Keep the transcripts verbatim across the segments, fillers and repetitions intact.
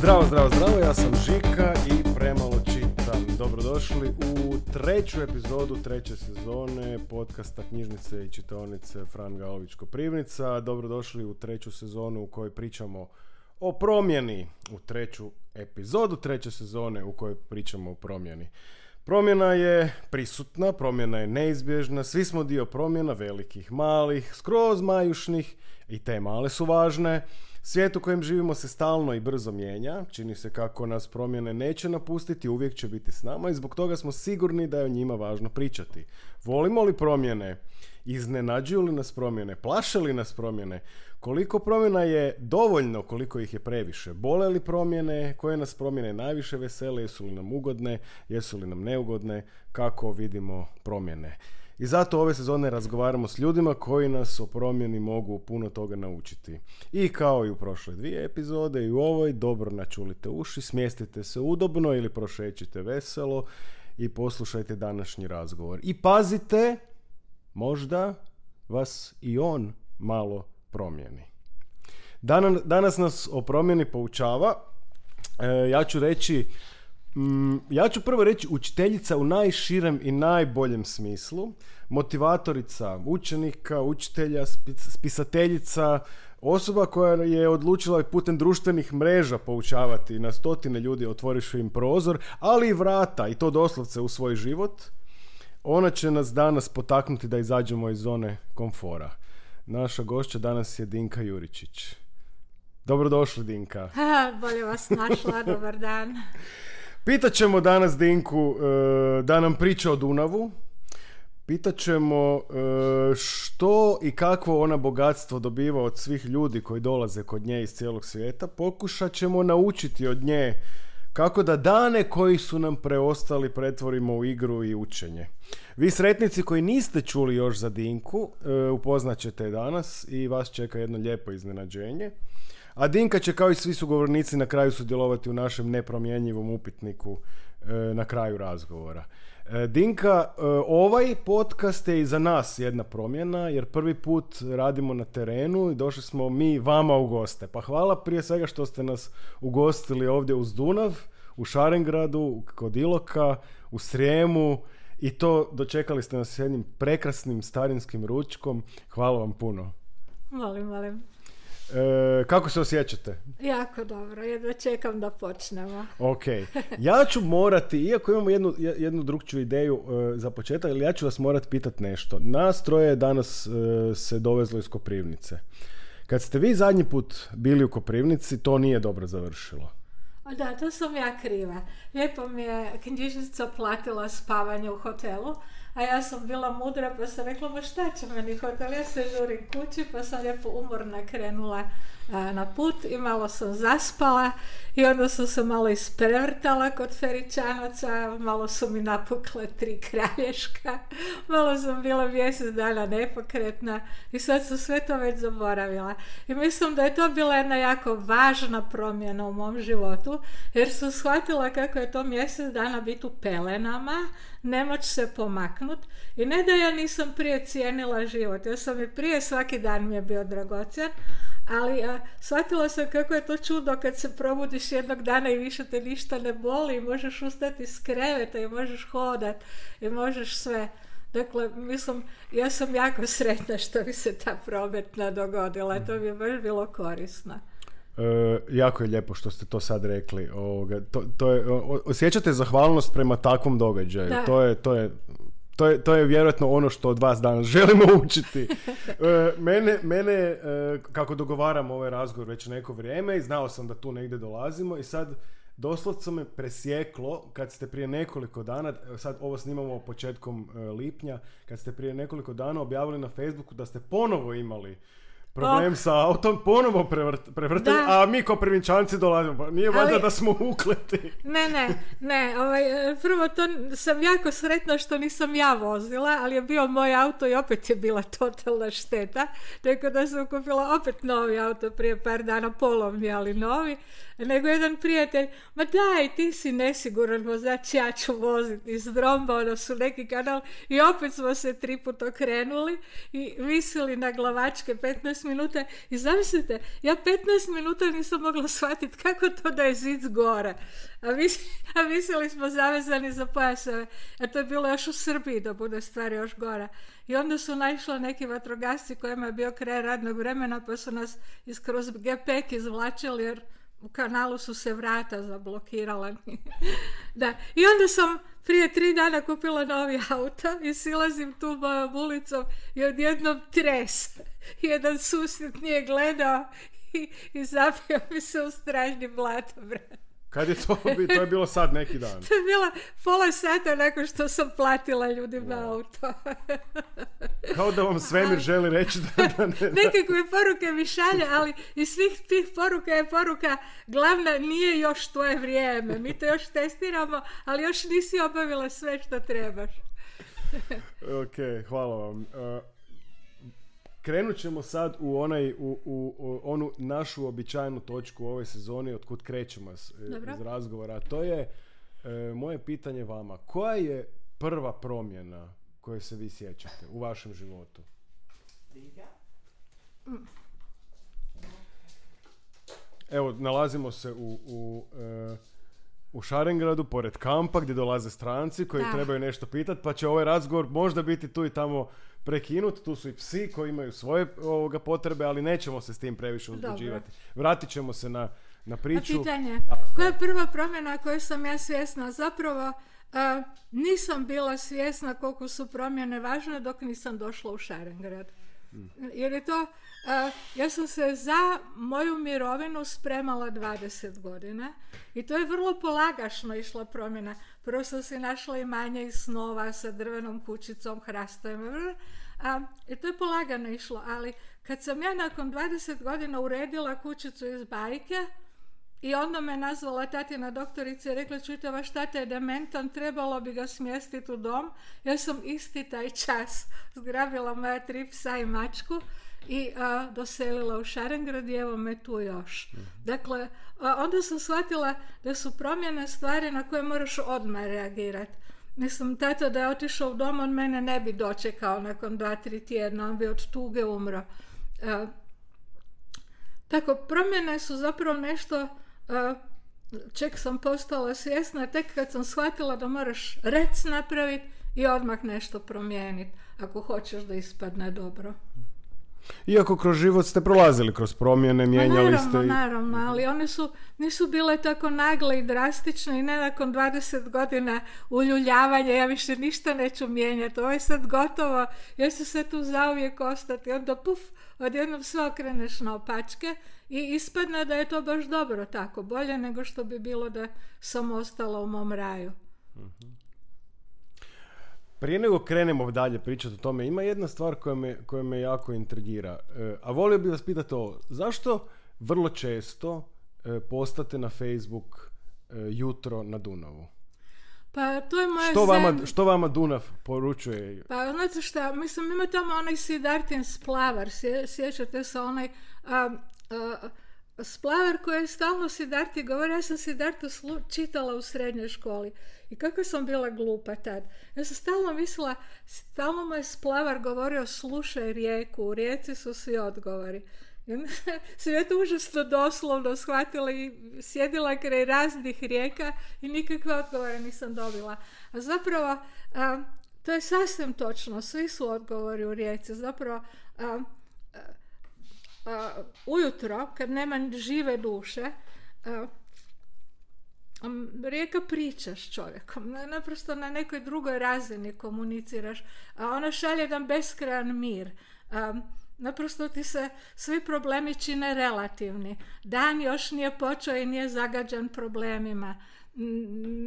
Zdravo, zdravo, zdravo, ja sam Žika i premalo čitam. Dobrodošli u treću epizodu treće sezone podcasta Knjižnice i čitaonice Fran Galović Koprivnica. Dobrodošli u treću sezonu u kojoj pričamo o promjeni, u treću epizodu treće sezone u kojoj pričamo o promjeni. Promjena je prisutna, promjena je neizbježna, svi smo dio promjena, velikih, malih, skroz majušnih, i te male su važne. Svijet u kojem živimo se stalno i brzo mijenja, čini se kako nas promjene neće napustiti, uvijek će biti s nama i zbog toga smo sigurni da je o njima važno pričati. Volimo li promjene? Iznenađuju li nas promjene? Plaše li nas promjene? Koliko promjena je dovoljno, koliko ih je previše? Bole li promjene? Koje nas promjene najviše vesele? Jesu li nam ugodne? Jesu li nam neugodne? Kako vidimo promjene? I zato ove sezone razgovaramo s ljudima koji nas o promjeni mogu puno toga naučiti. I kao i u prošle dvije epizode i u ovoj, dobro načulite uši, smjestite se udobno ili prošećite veselo i poslušajte današnji razgovor. I pazite, možda vas i on malo promijeni. Danas, danas nas o promjeni poučava, e, ja ću reći, mm, ja ću prvo reći učiteljica u najširem i najboljem smislu, motivatorica učenika, učitelja, spisateljica, osoba koja je odlučila putem društvenih mreža poučavati na stotine ljudi, otvoriš im prozor, ali i vrata, i to doslovce u svoj život. Ona će nas danas potaknuti da izađemo iz zone komfora. Naša gošća danas je Dinka Juričić. Dobrodošli, Dinka. Ha, bolje vas našla, dobar dan. Pitat ćemo danas Dinku e, da nam priča o Dunavu. Pitat ćemo e, što i kakvo ona bogatstvo dobiva od svih ljudi koji dolaze kod nje iz cijelog svijeta. Pokušat ćemo naučiti od nje kako da dane koji su nam preostali pretvorimo u igru i učenje. Vi sretnici koji niste čuli još za Dinku, e, upoznat ćete je danas i vas čeka jedno lijepo iznenađenje. A Dinka će kao i svi sugovornici na kraju sudjelovati u našem nepromjenjivom upitniku e, na kraju razgovora. E, Dinka, e, ovaj podcast je i za nas jedna promjena jer prvi put radimo na terenu i došli smo mi vama u goste. Pa hvala prije svega što ste nas ugostili ovdje uz Dunav, u Šarengradu, kod Iloka, u Srijemu i to dočekali ste nas s jednim prekrasnim starinskim ručkom. Hvala vam puno. Molim, molim. E, kako se osjećate? Jako dobro, jedva čekam da počnemo. Ok, ja ću morati, iako imamo jednu, jednu drugčiju ideju e, za početak, ali ja ću vas morati pitati nešto. Nas troje danas e, se dovezlo iz Koprivnice. Kad ste vi zadnji put bili u Koprivnici, to nije dobro završilo. Da, to sam ja kriva. Lijepo mi je knjižnica platila spavanje u hotelu, a ja sam bila mudra pa sam rekla, ma šta će meni hotel, ja se žurim kući, pa sam lijepo umorna krenula a, na put i malo sam zaspala i onda sam se malo isprevrtala kod Feričanaca, malo su mi napukle tri kralješka, malo sam bila mjesec dana nepokretna i sad sam sve to već zaboravila. I mislim da je to bila jedna jako važna promjena u mom životu, jer sam shvatila kako je to mjesec dana biti u pelenama, ne moći se pomaknut i ne da ja nisam prije cijenila život, ja sam i prije, svaki dan mi je bio dragocjen, ali a, shvatila sam kako je to čudo kad se probudiš jednog dana i više te ništa ne boli i možeš ustati iz kreveta i možeš hodat i možeš sve. Dakle, mislim, ja sam jako sretna što bi se ta prometna dogodila, to bi je baš bilo korisno. E, jako je lijepo što ste to sad rekli. Ovoga, to, to je, o, osjećate zahvalnost prema takvom događaju. Da. To je, to je, to je, to je vjerojatno ono što od vas danas želimo učiti. E, mene, mene e, kako dogovaram ovaj razgovor već neko vrijeme i znao sam da tu negdje dolazimo i sad doslovce me presjeklo kad ste prije nekoliko dana, sad ovo snimamo početkom e, lipnja, kad ste prije nekoliko dana objavili na Facebooku da ste ponovo imali problem oh. sa autom, ponovo prevrt, prevrtali, a mi ko Prvinčanci dolazimo. Pa nije valjda da smo ukleti. Ne, ne, ne. Ovaj, prvo to sam jako sretna što nisam ja vozila, ali je bio moj auto i opet je bila totalna šteta. Tako da sam kupila opet novi auto prije par dana, polovni, ali novi. Nego jedan prijatelj, ma daj, ti si nesiguran vozač, ja ću voziti iz Dromba, ono su neki kanal. I opet smo se tri put okrenuli i visili na glavačke petnaest minuta i zamislite, ja petnaest minuta nisam mogla shvatiti kako to da je zid gore. A, mis, a mislili smo zavezani za pojaseve. A to je bilo još u Srbiji da bude stvar još gora. I onda su naišli neki vatrogasci kojima je bio kraj radnog vremena pa su nas iskroz gepek izvlačili jer u kanalu su se vrata zablokirala. Da. I onda sam prije tri dana kupila novi auto i silazim tu mojom ulicom i odjednom tres. Jedan susjed nije gledao i, i zapio mi se u stražnji blatobran. Kad je to, to je bilo sad neki dan? To je bila pola sata nakon što sam platila ljudima wow. auto. Kao da vam svemir želi reći da... da ne, da. Nekakve poruke mi šalje, ali iz svih tih poruka je poruka glavna nije još tvoje vrijeme. Mi to još testiramo, ali još nisi obavila sve što trebaš. Ok, hvala vam. Uh, Krenut ćemo sad u, onaj, u, u, u onu našu običajnu točku u ovoj sezoni od kud krećemo s, iz razgovora. To je e, moje pitanje vama. Koja je prva promjena koju se vi sjećate u vašem životu? Evo, nalazimo se u, u, e, u Šarengradu, pored kampa gdje dolaze stranci koji da. trebaju nešto pitati, pa će ovaj razgovor možda biti tu i tamo prekinut. Tu su i psi koji imaju svoje ovoga potrebe, ali nećemo se s tim previše uzbuđivati. Vratit ćemo se na, na priču. A pitanje, koja je prva promjena koju sam ja svjesna? Zapravo uh, nisam bila svjesna koliko su promjene važne dok nisam došla u Šarengrad. Hmm. Jer je to, uh, ja sam se za moju mirovinu spremala dvadeset godina i to je vrlo polagašno išla promjena. Prvo sam si našla imanje iz snova sa drvenom kućicom, hrastovima, a, i to je polagano išlo, ali kad sam ja nakon dvadeset godina uredila kućicu iz bajke i onda me nazvala tatina doktorica i rekla, čujte, vaš tata je dementan, trebalo bi ga smjestiti u dom. Ja sam isti taj čas zgrabila moja tri psa i mačku i a, doselila u Šarengrad i evo me tu još. Dakle, a, onda sam shvatila da su promjene stvari na koje moraš odmah reagirati. Mislim, tata da je otišao u dom, on mene ne bi dočekao nakon dva, tri tjedna, on bi od tuge umro. A, tako, promjene su zapravo nešto a, čeg sam postala svjesna tek kad sam shvatila da moraš rec napraviti i odmah nešto promijeniti ako hoćeš da ispadne dobro. Iako kroz život ste prolazili kroz promjene, mijenjali naravno, ste... I... Naravno, ali one su, nisu bile tako nagle i drastične i ne nakon dvadeset godina uljuljavanja, ja više ništa neću mijenjati, ovo je sad gotovo, ja ću se tu zauvijek ostati, onda puf, odjednom sve okreneš na opačke i ispadne da je to baš dobro tako, bolje nego što bi bilo da sam ostala u mom raju. Mhm. Prije nego krenemo dalje pričati o tome, ima jedna stvar koja me, koja me jako intrigira. E, a volio bih vas pitati ovo, zašto vrlo često e, postate na Facebook e, jutro na Dunavu? Pa to je moja što vama, što vama Dunav poručuje? Pa znate šta, mislim ima tamo onaj Siddhartin splavar, sje, sjećate se onaj a, a, splavar koji je stalno Siddharti govori, ja sam Siddhartu slu, čitala u srednjoj školi i kako sam bila glupa tad. Ja sam stalno mislila, stalno mu je splavar govorio slušaj rijeku, u rijeci su svi odgovori. I onda sam ja to užasno doslovno shvatila i sjedila kraj raznih rijeka i nikakve odgovore nisam dobila. A zapravo, a, to je sasvim točno, svi su odgovori u rijeci. Zapravo, a, a, ujutro, kad nema žive duše, a, rijeka priča s čovjekom, naprosto na nekoj drugoj razini komuniciraš, a ona šalje jedan beskrajan mir. A, naprosto ti se svi problemi čine relativni. Dan još nije počeo i nije zagađen problemima.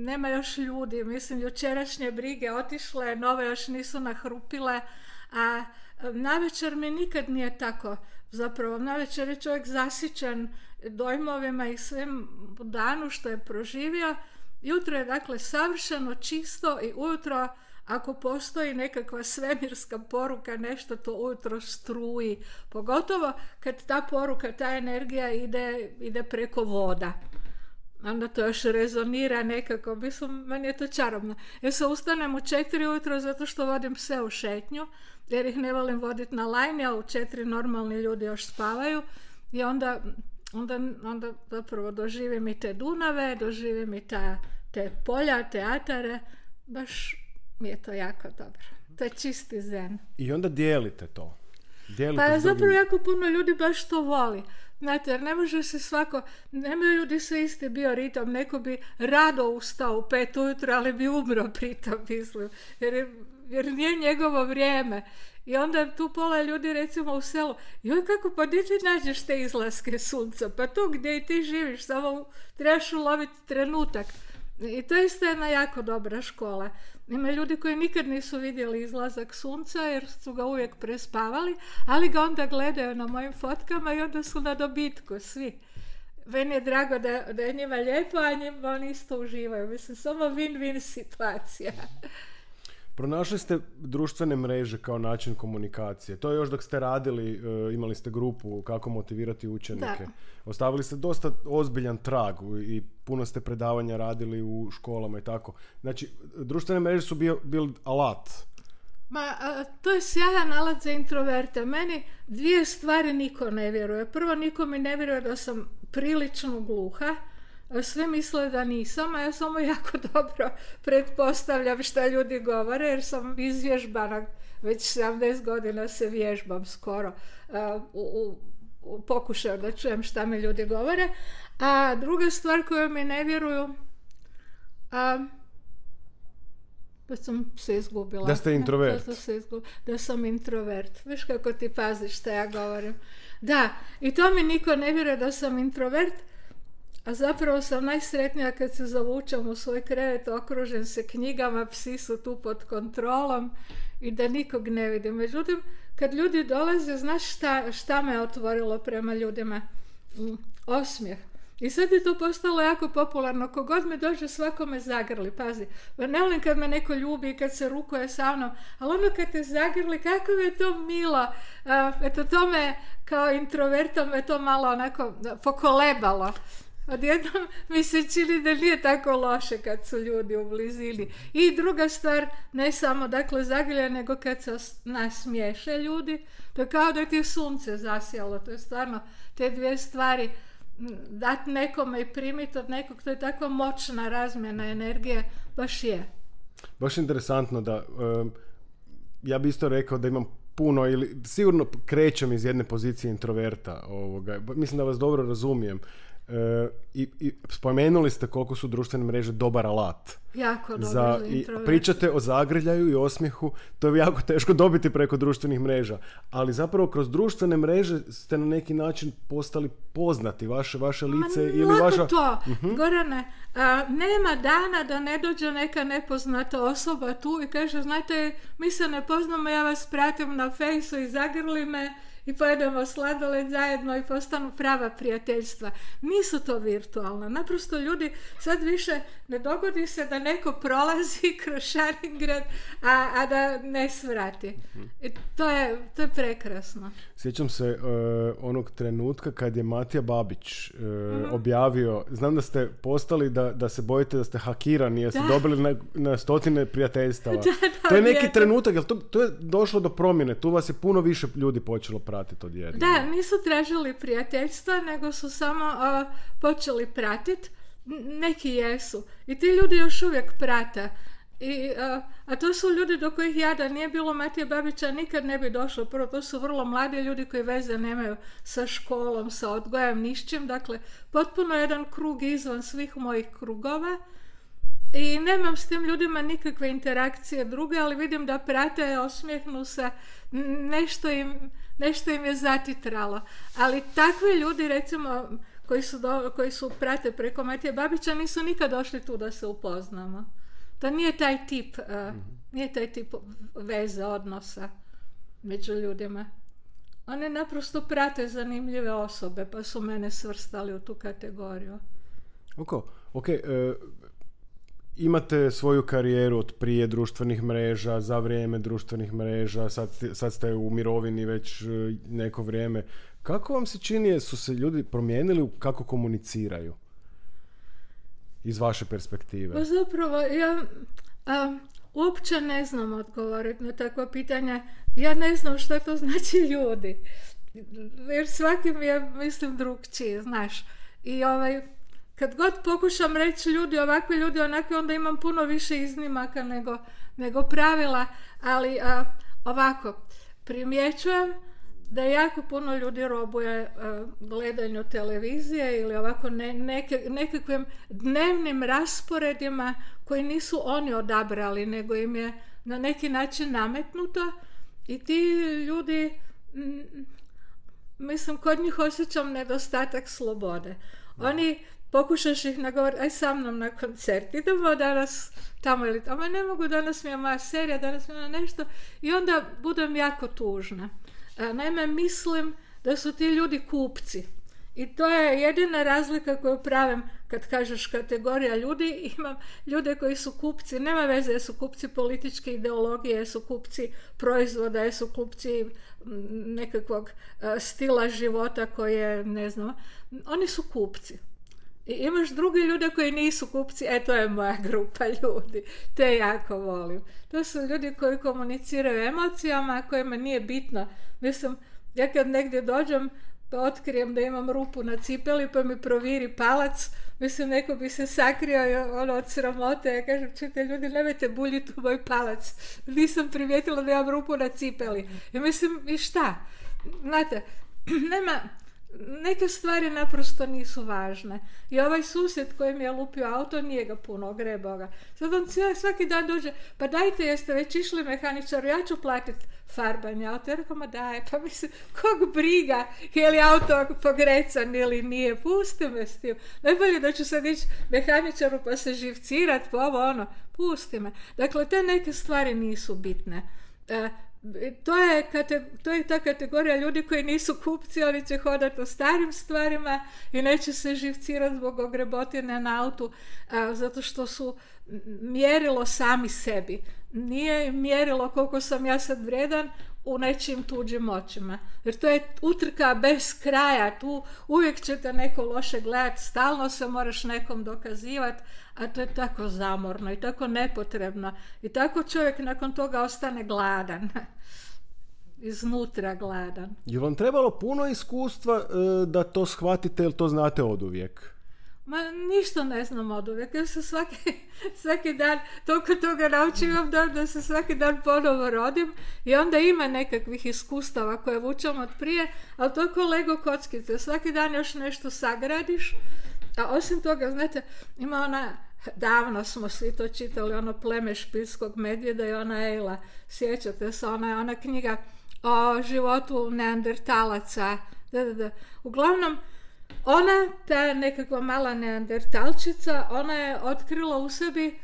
Nema još ljudi, mislim, jučerašnje brige otišle, nove još nisu nahrupile, a navečer mi nikad nije tako. Zapravo, navečer je čovjek zasićen dojmovima i svim danu što je proživio. Jutro je dakle savršeno čisto i ujutro, ako postoji nekakva svemirska poruka, nešto to ujutro struji. Pogotovo kad ta poruka, ta energija ide, ide preko voda. onda to još rezonira nekako. Mislim, meni je to čarobno. Ja se ustanem u četiri ujutro zato što vodim pse u šetnju, jer ih ne volim voditi na lajni, a u četiri normalni ljudi još spavaju. I onda, onda, onda zapravo doživim i te Dunave, doživim i ta, te polja, teatare. Baš mi je to jako dobro. To je čisti zen. I onda dijelite to. Dijelite Pa zapravo drugim... jako puno ljudi baš to voli. Znate, jer ne može se svako, nemaju ljudi sve isti bioritam, neko bi rado ustao u pet ujutro, ali bi umro pritom, mislim, jer, je, jer nije njegovo vrijeme. I onda tu pola ljudi recimo u selu, joj kako, pa gdje ti nađeš te izlaske sunca, pa tu gdje i ti živiš, samo trebaš uloviti trenutak. I to je isto jedna jako dobra škola. Ima ljudi koji nikad nisu vidjeli izlazak sunca jer su ga uvijek prespavali, ali ga onda gledaju na mojim fotkama i onda su na dobitku svi. Meni je drago da, da je njima lijepo, a njima oni isto uživaju. Mislim, samo win-win situacija. Pronašli ste društvene mreže kao način komunikacije. To je još dok ste radili, imali ste grupu kako motivirati učenike. Da. Ostavili ste dosta ozbiljan trag i puno ste predavanja radili u školama i tako. Znači, društvene mreže su bio, bil alat. Ma, a, to je sjajan alat za introverte. Meni dvije stvari niko ne vjeruje. Prvo, niko mi ne vjeruje da sam prilično gluha. Sve misle da nisam, a ja samo jako dobro pretpostavljam šta ljudi govore, jer sam izvježbana, već sedamdeset godina se vježbam skoro uh, u, u, u pokušaju da čujem šta mi ljudi govore. A druga stvar koju mi ne vjeruju, uh, da sam se izgubila. Da ste introvert. Da, sam se izgubila, da sam introvert. Viš kako ti paziš šta ja govorim. Da, i to mi niko ne vjeruje da sam introvert. A zapravo sam najsretnija kad se zavučam u svoj krevet, okružen se knjigama, psi su tu pod kontrolom i da nikog ne vidim. Međutim, kad ljudi dolaze, znaš šta, šta me otvorilo prema ljudima? Mm, osmijeh. I sad je to postalo jako popularno. Kogod me dođe, svako me zagrli. Pazi, ne volim kad me neko ljubi i kad se rukuje sa mnom, ali ono kad te zagrli, kako je to milo. Uh, eto, to me kao introvertom me to malo onako pokolebalo. Odjednom mi se čini da nije tako loše kad su ljudi u blizini. I druga stvar, ne samo dakle zagrlja, nego kad se nasmiješe ljudi, to je kao da ti je sunce zasjalo. To je stvarno te dvije stvari, dati nekome i primiti od nekog, to je takva moćna razmjena energije, baš je. Baš interesantno da, um, ja bi isto rekao da imam puno, ili sigurno krećem iz jedne pozicije introverta, ovoga. Mislim da vas dobro razumijem. E, i, i spomenuli ste koliko su društvene mreže dobar alat. Jako dobro za, za i pričate o zagrljaju i osmijehu, to je jako teško dobiti preko društvenih mreža, ali zapravo kroz društvene mreže ste na neki način postali poznati, vaše, vaše lice. Ma, ili vaša... to, uh-huh. Gorane, a, nema dana da ne dođe neka nepoznata osoba tu i kaže, znate, mi se ne poznamo, ja vas pratim na fejsu i zagrli me i pojedemo sladoled zajedno i postanu prava prijateljstva. Nisu to virtualna. Naprosto ljudi sad više ne dogodi se da neko prolazi kroz Šaringrad, a, a da ne svrati. I to je, to je prekrasno. Sjećam se uh, onog trenutka kad je Matija Babić uh, mm-hmm. objavio, znam da ste postali da, da se bojite da ste hakirani jer ste da. dobili na, na stotine prijateljstava. Da, da, to je neki je. trenutak, jer to, to je došlo do promjene. Tu vas je puno više ljudi počelo pratiti odjednom. Da, nisu tražili prijateljstva, nego su samo uh, počeli pratiti. Neki jesu. I ti ljudi još uvijek prate. I, uh, a to su ljudi do kojih ja da nije bilo Matije Babića nikad ne bi došlo. Prvo, to su vrlo mladi ljudi koji veze nemaju sa školom, sa odgojem, ni s čim. Dakle, potpuno jedan krug izvan svih mojih krugova. I nemam s tim ljudima nikakve interakcije druge, ali vidim da prate, osmijehnu se, nešto im, nešto im je zatitralo. Ali takvi ljudi, recimo, koji su, do, koji su prate preko Matije Babića, nisu nikad došli tu da se upoznamo. To nije taj tip, uh, mm-hmm. nije taj tip veze, odnosa među ljudima. Oni naprosto prate zanimljive osobe, pa su mene svrstali u tu kategoriju. Ok, ok. Uh... Imate svoju karijeru od prije društvenih mreža, za vrijeme društvenih mreža, sad, sad ste u mirovini već neko vrijeme. Kako vam se čini, su se ljudi promijenili kako komuniciraju? iz vaše perspektive? Pa zapravo, ja a, uopće ne znam odgovoriti na takva pitanja. Ja ne znam što to znači ljudi. Jer svaki mi je, mislim, drugčiji, znaš. I ovaj, kad god pokušam reći ljudi, ovakvi ljudi, onakvi, onda imam puno više iznimaka nego, nego pravila. Ali a, ovako, primjećujem da jako puno ljudi robuje uh, gledanju televizije ili ovako ne, neke, nekakvim dnevnim rasporedima koji nisu oni odabrali, nego im je na neki način nametnuto i ti ljudi, m, mislim, kod njih osjećam nedostatak slobode. Oni, pokušaš ih nagovoriti, aj sa mnom na koncert, idemo danas tamo ili tamo, ne mogu, danas mi je moja serija, danas mi je nešto, i onda budem jako tužna. Naime, mislim da su ti ljudi kupci. I to je jedina razlika koju pravim kad kažeš kategorija ljudi. Imam ljude koji su kupci, nema veze jesu kupci političke ideologije, jesu kupci proizvoda, jesu kupci nekakvog stila života koji je, ne znam, oni su kupci. I imaš drugi ljude koji nisu kupci, e to je moja grupa ljudi, te jako volim. To su ljudi koji komuniciraju emocijama, kojima nije bitno. Mislim, ja kad negdje dođem pa otkrijem da imam rupu na cipeli pa mi proviri palac, mislim, neko bi se sakrio ono, od sramote. Ja kažem, čujte ljudi, nemojte buljiti u moj palac, nisam primijetila da imam rupu na cipeli. I mislim, i šta? Znate, nema... Neke stvari naprosto nisu važne. I ovaj susjed koji mi je lupio auto, nije ga puno ogrebao ga. Sad on cijeli, svaki dan dođe, pa dajte, jeste već išli mehaničaru, ja ću platiti farbanje auto. Ja rekao, ma daj, pa mislim, kog briga je li auto pogrecan ili nije, pusti me s tim. Najbolje da ću sad ići mehaničaru pa se živcirat, pa ovo ono, pusti me. Dakle, te neke stvari nisu bitne. E, To je, to je ta kategorija ljudi koji nisu kupci, oni će hodati o starim stvarima i neće se živcirati zbog ogrebotine na autu, a, zato što su mjerilo sami sebi. Nije mjerilo koliko sam ja sad vrijedan u nečim tuđim očima. Jer to je utrka bez kraja, tu uvijek će te neko loše gledati, stalno se moraš nekom dokazivati, a to je tako zamorno i tako nepotrebno. I tako čovjek nakon toga ostane gladan. Iznutra gladan. Je vam trebalo puno iskustva e, da to shvatite ili to znate oduvijek? Ma ništa ne znam oduvijek. Ja se svaki, svaki dan toliko toga naučim da, da se svaki dan ponovo rodim i onda ima nekakvih iskustava koje vučem od prije, ali to je ko Lego kockice. Svaki dan još nešto sagradiš, a osim toga, znate, ima ona, davno smo svi to čitali, ono Pleme špilskog medvjeda i ona Ejla. Sjećate se, ona, ona knjiga o životu neandertalaca. Da, da, da. Uglavnom, ona, ta nekakva mala neandertalčica, ona je otkrila u sebi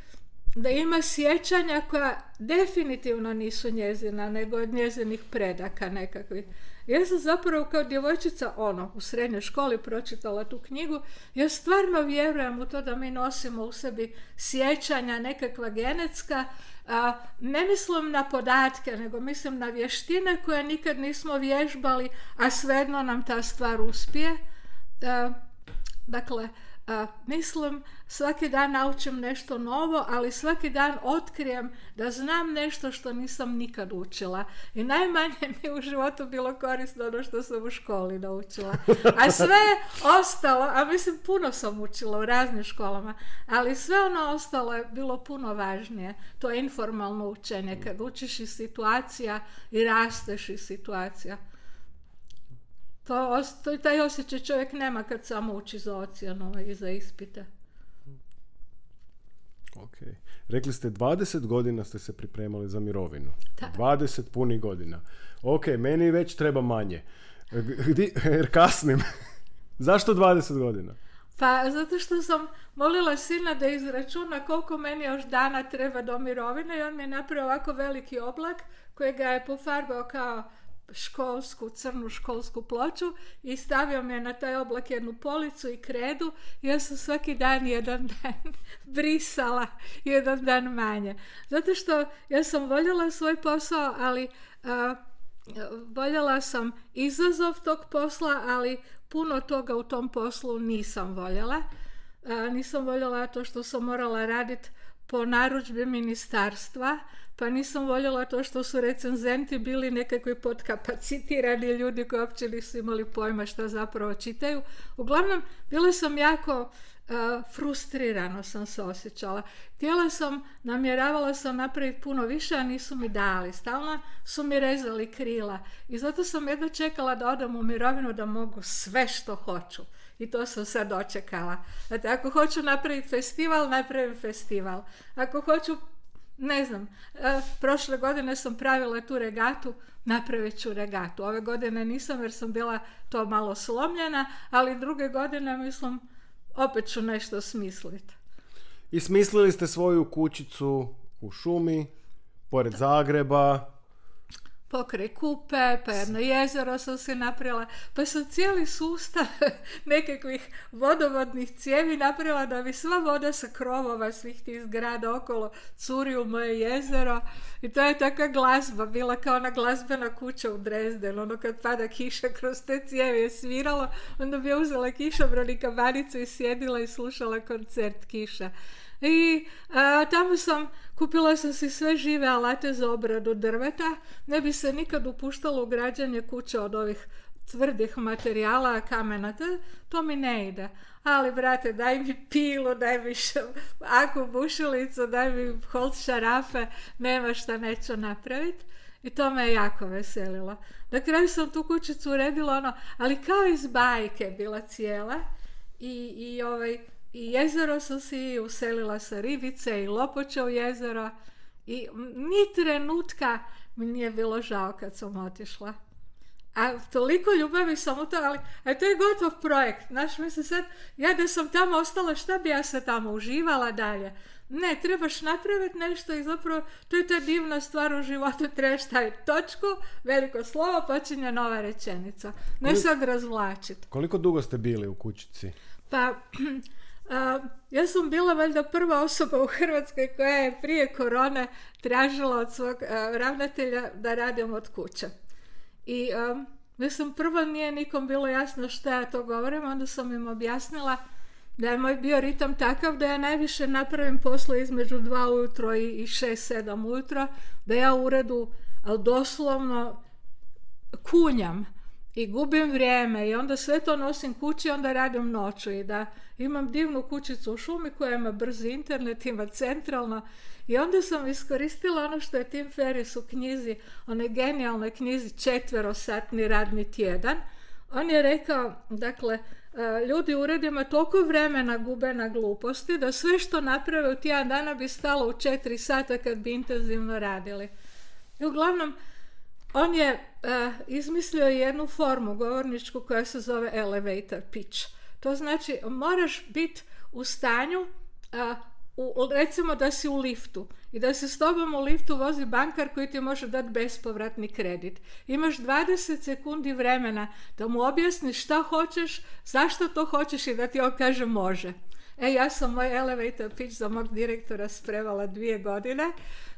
da ima sjećanja koja definitivno nisu njezina, nego od njezinih predaka nekakvih. Ja sam zapravo kao djevojčica, ono, u srednjoj školi pročitala tu knjigu. Ja stvarno vjerujem u to da mi nosimo u sebi sjećanja nekakva genetska. A, ne mislim na podatke, nego mislim na vještine koje nikad nismo vježbali, a svejedno nam ta stvar uspije. A, dakle, a, mislim, svaki dan naučim nešto novo, ali svaki dan otkrijem da znam nešto što nisam nikad učila. I najmanje mi u životu bilo korisno ono što sam u školi naučila. A sve ostalo, a mislim puno sam učila u raznim školama, ali sve ono ostalo je bilo puno važnije. To je informalno učenje, kad učiš iz situacija i rasteš iz situacija. To, to, taj osjećaj čovjek nema kad samo uči za ocjenu i za ispite. Ok. Rekli ste dvadeset godina ste se pripremali za mirovinu. Da. dvadeset punih godina. Ok, meni već treba manje. Gdje, jer kasnim. Zašto dvadeset godina? Pa zato što sam molila sina da izračuna koliko meni još dana treba do mirovine i on mi je napravio ovako veliki oblak koji ga je pofarbao kao školsku, crnu školsku ploču i stavio mi je na taj oblak jednu policu i kredu i ja sam svaki dan jedan dan brisala jedan dan manje. Zato što ja sam voljela svoj posao, ali a, voljela sam izazov tog posla, ali puno toga u tom poslu nisam voljela. a, nisam voljela to što sam morala raditi po narudžbi ministarstva, pa nisam voljela to što su recenzenti bili nekakvi podkapacitirani ljudi koji uopće nisu imali pojma šta zapravo čitaju. Uglavnom, bila sam jako uh, frustrirano sam se osjećala. Htjela sam, namjeravala sam napraviti puno više, a nisu mi dali. Stalno su mi rezali krila. I zato sam jedva čekala da odem u mirovinu da mogu sve što hoću. I to sam sad dočekala. Znači, ako hoću napraviti festival, napravim festival. Ako hoću, ne znam, e, prošle godine sam pravila tu regatu, napravit ću regatu. Ove godine nisam jer sam bila to malo slomljena, ali druge godine, mislim, opet ću nešto smisliti. I smislili ste svoju kućicu u šumi, pored Zagreba. Pokraj Kupe, pa jedno jezero sam se napravila, pa sam cijeli sustav nekakvih vodovodnih cijevi napravila da bi sva voda sa krovova svih tih zgrada okolo curi u moje jezero. I to je takva glazba, bila kao ona glazbena kuća u Dresdenu, ono kad pada kiša kroz te cijevi je sviralo, onda bi ja uzela kišobran i kabanicu i sjedila i slušala koncert Kiša. I a, tamo sam, kupila sam si sve žive alate za obradu drveta, ne bi se nikad upuštalo u građenje kuće od ovih tvrdih materijala, kamena, to, to mi ne ide. Ali, brate, daj mi pilu, daj mi aku bušilicu, daj mi holt šarafe, nema šta neću napraviti. I to me je jako veselilo. Na kraju sam tu kućicu uredila ono, ali kao iz bajke bila cijela i, i ovaj... I jezero sam si uselila sa ribice i lopoče u jezero i ni trenutka mi nije bilo žao kad sam otišla. A toliko ljubavi sam u to, ali a to je gotov projekt. Znaš, mislim sad, ja da sam tamo ostala, šta bi ja se tamo uživala dalje? Ne, trebaš napraviti nešto i zapravo to je ta divna stvar u životu, trebaš staviti točku, veliko slovo, počinje nova rečenica. Ne Koliko, sad razvlačiti. Koliko dugo ste bili u kućici? Pa... Uh, ja sam bila valjda prva osoba u Hrvatskoj koja je prije korone tražila od svog uh, ravnatelja da radim od kuće. I um, mislim, prvo nije nikom bilo jasno što ja to govorim, onda sam im objasnila da je moj bio ritam takav da ja najviše napravim posle između dva ujutro i šest sedam ujutro, da ja u uredu doslovno kunjam i gubim vrijeme i onda sve to nosim kući i onda radim noću i da imam divnu kućicu u šumi koja ima brzi internet, ima centralno i onda sam iskoristila ono što je Tim Ferriss u knjizi, onoj genijalnoj knjizi Četverosatni radni tjedan. On je rekao, dakle, ljudi u uredima toliko vremena gube na gluposti da sve što naprave u tjedan dana bi stalo u četiri sata kad bi intenzivno radili. I uglavnom, on je uh, izmislio jednu formu govorničku koja se zove elevator pitch. To znači moraš biti u stanju, uh, u, recimo da si u liftu i da se s tobom u liftu vozi bankar koji ti može dati bespovratni kredit. Imaš dvadeset sekundi vremena da mu objasniš šta hoćeš, zašto to hoćeš i da ti on kaže može. E, ja sam moj elevator pitch za mog direktora spremala dvije godine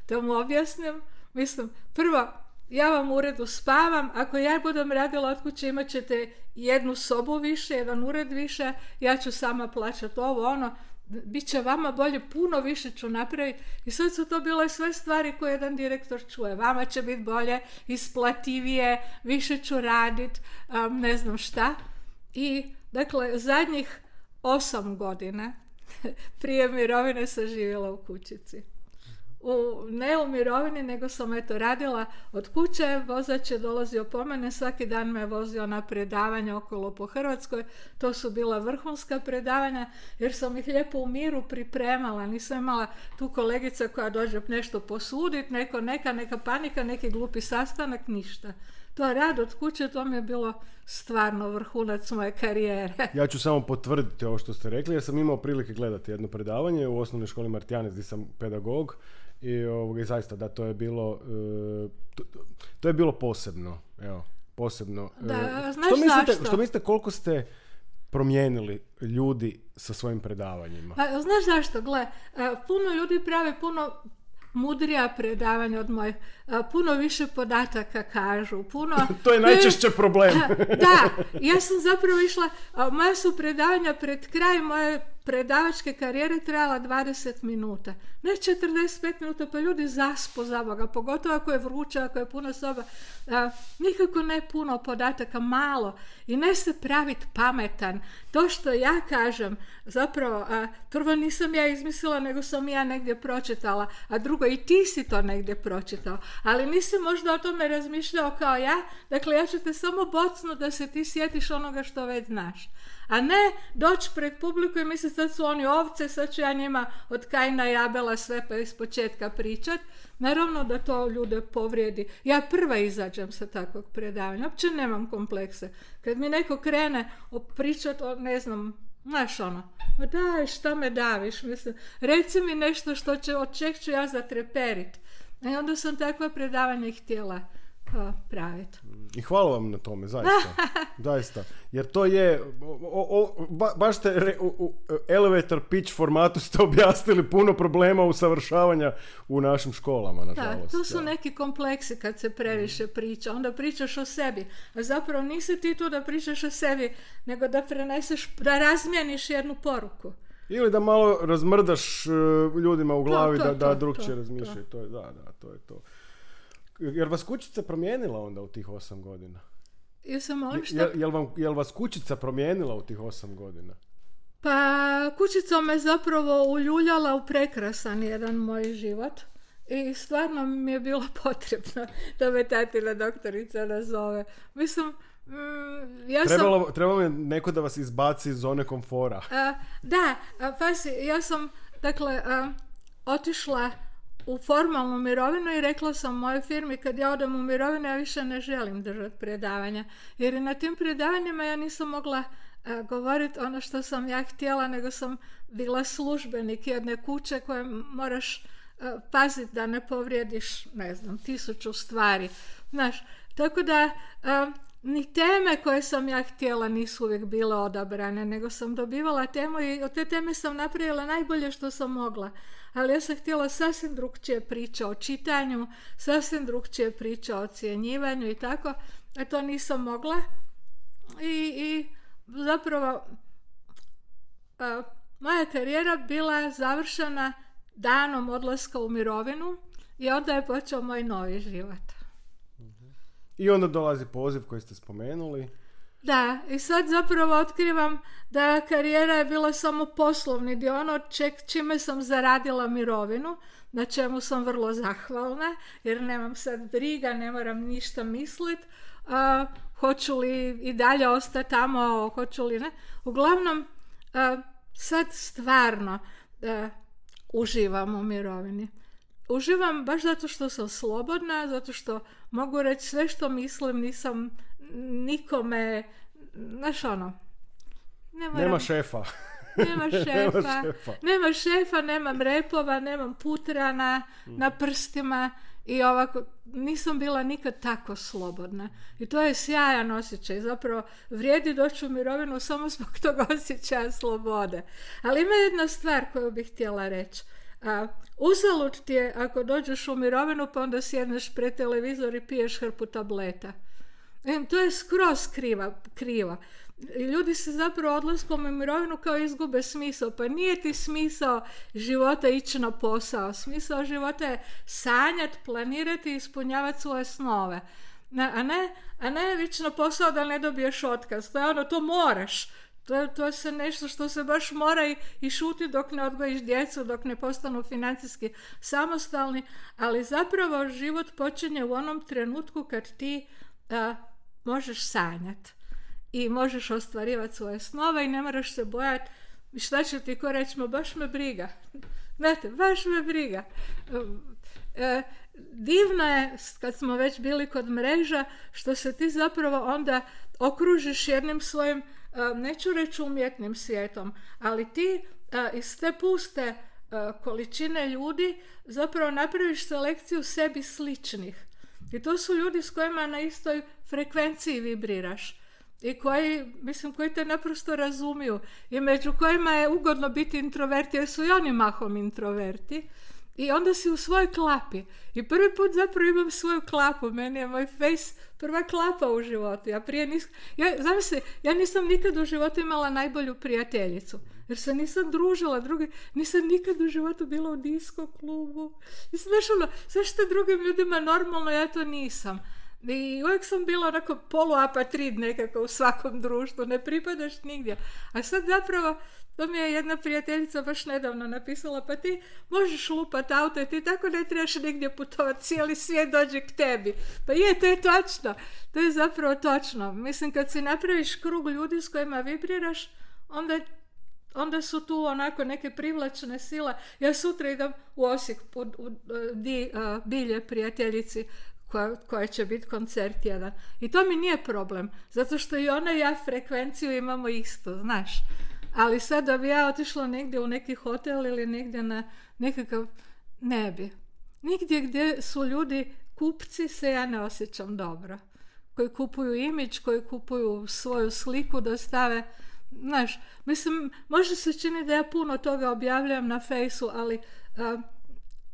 da mu objasnim. Mislim, prvo, ja vam u uredu spavam, ako ja budem radila od kuće imat ćete jednu sobu više, jedan ured više, ja ću sama plaćati ovo, ono, bit će vama bolje, puno više ću napraviti. I sad su to bile sve stvari koje jedan direktor čuje. Vama će biti bolje, isplativije, više ću raditi, um, ne znam šta. I, dakle, zadnjih osam godina prije mirovine sam živjela u kućici. U, ne u mirovini, nego sam eto radila od kuće, vozač je dolazio po mene, svaki dan me vozio na predavanja okolo po Hrvatskoj, to su bila vrhunska predavanja, jer sam ih lijepo u miru pripremala, nisam imala tu kolegica koja dođe nešto posuditi, neko neka, neka panika, neki glupi sastanak, ništa. To rad od kuće, to mi je bilo stvarno vrhunac moje karijere. Ja ću samo potvrditi ovo što ste rekli, jer sam imao prilike gledati jedno predavanje u osnovnoj školi Martijanec gdje sam pedagog i, ovoga, i zaista da, to je bilo e, to, to je bilo posebno, evo, posebno. Da, e, znaš što mislite, zašto? Što mislite koliko ste promijenili ljudi sa svojim predavanjima? Pa, znaš zašto? Gle, puno ljudi pravi puno mudrija predavanja od mojih, puno više podataka kažu, puno... To je najčešće problem. Da, ja sam zapravo išla, moja su predavanja pred kraj, moje predavačke karijere trajala dvadeset minuta. Ne četrdeset pet minuta, pa ljudi zaspu za Boga, pogotovo ako je vruće, ako je puno soba. A, nikako ne puno podataka, malo. I ne se praviti pametan. To što ja kažem, zapravo, a, prvo nisam ja izmislila, nego sam ja negdje pročitala, a drugo i ti si to negdje pročitao. Ali nisi možda o tome razmišljao kao ja, dakle ja ću te samo bocnu da se ti sjetiš onoga što već znaš. A ne doći pred publiku i misliti sad su oni ovce, sad ću ja njima od Kajna i Abela sve pa iz početka pričat. Naravno da to ljude povrijedi. Ja prva izađem sa takvog predavanja, uopće nemam komplekse. Kad mi neko krene pričat o, ne znam, znaš ono, ma daj, šta me daviš, mislim, reci mi nešto što će, od čeg ću ja zatreperit. I onda sam takva predavanja htjela praviti. I hvala vam na tome, zaista. zaista. Jer to je, o, o, ba, baš ste re, u, u elevator pitch formatu ste objasnili puno problema usavršavanja u našim školama, nažalost. Da, to su da. neki kompleksi kad se previše priča. Onda pričaš o sebi. A zapravo nisi ti tu da pričaš o sebi, nego da preneseš, da razmijeniš jednu poruku. Ili da malo razmrdaš uh, ljudima u glavi to, to, da, da drugčije razmišljaju. To. To je, da, da, to je to. Jer vas kućica promijenila onda u tih osam godina? Jesam on što... Jel, jel, vam, jel vas kućica promijenila u tih osam godina? Pa kućica me zapravo uljuljala u prekrasan jedan moj život. I stvarno mi je bilo potrebno da me tatina doktorica nazove. Mislim, mm, ja trebalo, sam... Trebalo je neko da vas izbaci iz zone komfora. A, da, a, pa si, ja sam, dakle, a, otišla u formalnu mirovinu i rekla sam mojoj firmi kad ja odem u mirovinu ja više ne želim držati predavanja. Jer na tim predavanjima ja nisam mogla a, govoriti ono što sam ja htjela, nego sam bila službenik jedne kuće koje moraš a, paziti da ne povrijediš, ne znam, tisuću stvari. Znaš, tako da a, ni teme koje sam ja htjela nisu uvijek bile odabrane, nego sam dobivala temu i od te teme sam napravila najbolje što sam mogla. Ali ja sam htjela sasvim drugčije priča o čitanju, sasvim drugčije priča o ocjenjivanju i tako, a to nisam mogla. I, i zapravo a, moja karijera bila završena danom odlaska u mirovinu i onda je počeo moj novi život. I onda dolazi poziv koji ste spomenuli. Da, i sad zapravo otkrivam da karijera je bila samo poslovni dio, ono ček, čime sam zaradila mirovinu, na čemu sam vrlo zahvalna, jer nemam sad briga, ne moram ništa misliti, uh, hoću li i dalje ostati tamo, hoću li ne. Uglavnom, uh, sad stvarno uh, uživam u mirovini. Uživam baš zato što sam slobodna, zato što mogu reći sve što mislim, nisam nikome, znaš ono, ne moram, nema šefa. Nema šefa, nema šefa, nema šefa, nemam repova, nemam putrana mm. na prstima i ovako, nisam bila nikad tako slobodna. I to je sjajan osjećaj, zapravo vrijedi doći u mirovinu samo zbog tog osjećaja slobode. Ali ima jedna stvar koju bih htjela reći. A, uzalud ti je ako dođeš u mirovinu pa onda sjedneš pred televizor i piješ hrpu tableta. E, to je skroz kriva, kriva. I ljudi se zapravo odlaskom u mirovinu kao izgube smisao. Pa nije ti smisao života ići na posao. Smisao života je sanjati, planirati i ispunjavati svoje snove. A ne, a ne ići na posao da ne dobiješ otkaz. To je ono, to moraš. To, to je se nešto što se baš mora i, i šuti dok ne odgojiš djecu, dok ne postanu financijski samostalni, ali zapravo život počinje u onom trenutku kad ti a, možeš sanjati i možeš ostvarivati svoje snove i ne moraš se bojati šta će ti ko reći, ma baš me briga. Znate, baš me briga. E, divno je, kad smo već bili kod mreža, što se ti zapravo onda okružiš jednim svojim, neću reći umjetnim svijetom, ali ti iz te puste količine ljudi zapravo napraviš selekciju sebi sličnih. I to su ljudi s kojima na istoj frekvenciji vibriraš i koji, mislim, koji te naprosto razumiju i među kojima je ugodno biti introverti, jer su i oni mahom introverti. i onda si u svojoj klapi. I prvi put zapravo imam svoju klapu. Meni je moj face prva klapa u životu. Ja prije nis... ja, zamisli, ja nisam nikad u životu imala najbolju prijateljicu. Jer se nisam družila, drugi, nisam nikad u životu bila u disko klubu. Mislim, znaš ono, zašto drugim ljudima normalno, ja to nisam. I uvijek sam bila onako poluapatrid nekako u svakom društvu, ne pripadaš nigdje. A sad zapravo, to mi je jedna prijateljica baš nedavno napisala, pa ti možeš lupat auto i ti tako ne trebaš nigdje putovati, cijeli svijet dođe k tebi. Pa je, to je točno, to je zapravo točno. Mislim, kad si napraviš krug ljudi s kojima vibriraš, onda onda su tu onako neke privlačne sile. Ja sutra idem u Osijek u, u, u di, uh, Bilje prijateljici koja, koja će biti koncert jedan. I to mi nije problem, zato što i ona i ja frekvenciju imamo isto, znaš. Ali sad da bi ja otišla negdje u neki hotel ili negdje na nekakav, ne bi. Nigdje gdje su ljudi kupci se ja ne osjećam dobro. Koji kupuju imidž, koji kupuju svoju sliku da stave. Znaš, mislim, može se čini da ja puno toga objavljam na fejsu, ali uh,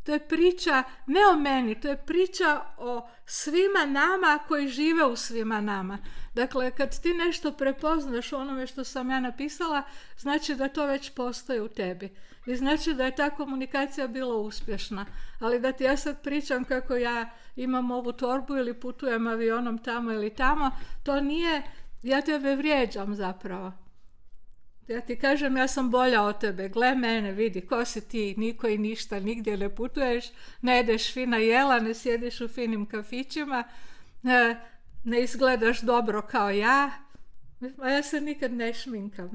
to je priča ne o meni, to je priča o svima nama koji žive u svima nama. Dakle, kad ti nešto prepoznaš u onome što sam ja napisala, znači da to već postoji u tebi. I znači da je ta komunikacija bila uspješna. Ali da ti ja sad pričam kako ja imam ovu torbu ili putujem avionom tamo ili tamo, to nije, ja tebe vrijeđam zapravo. Ja ti kažem, ja sam bolja od tebe, gle mene, vidi, ko si ti, niko i ništa, nigdje ne putuješ, ne jedeš fina jela, ne sjediš u finim kafićima, ne, ne izgledaš dobro kao ja, a ja se nikad ne šminkam.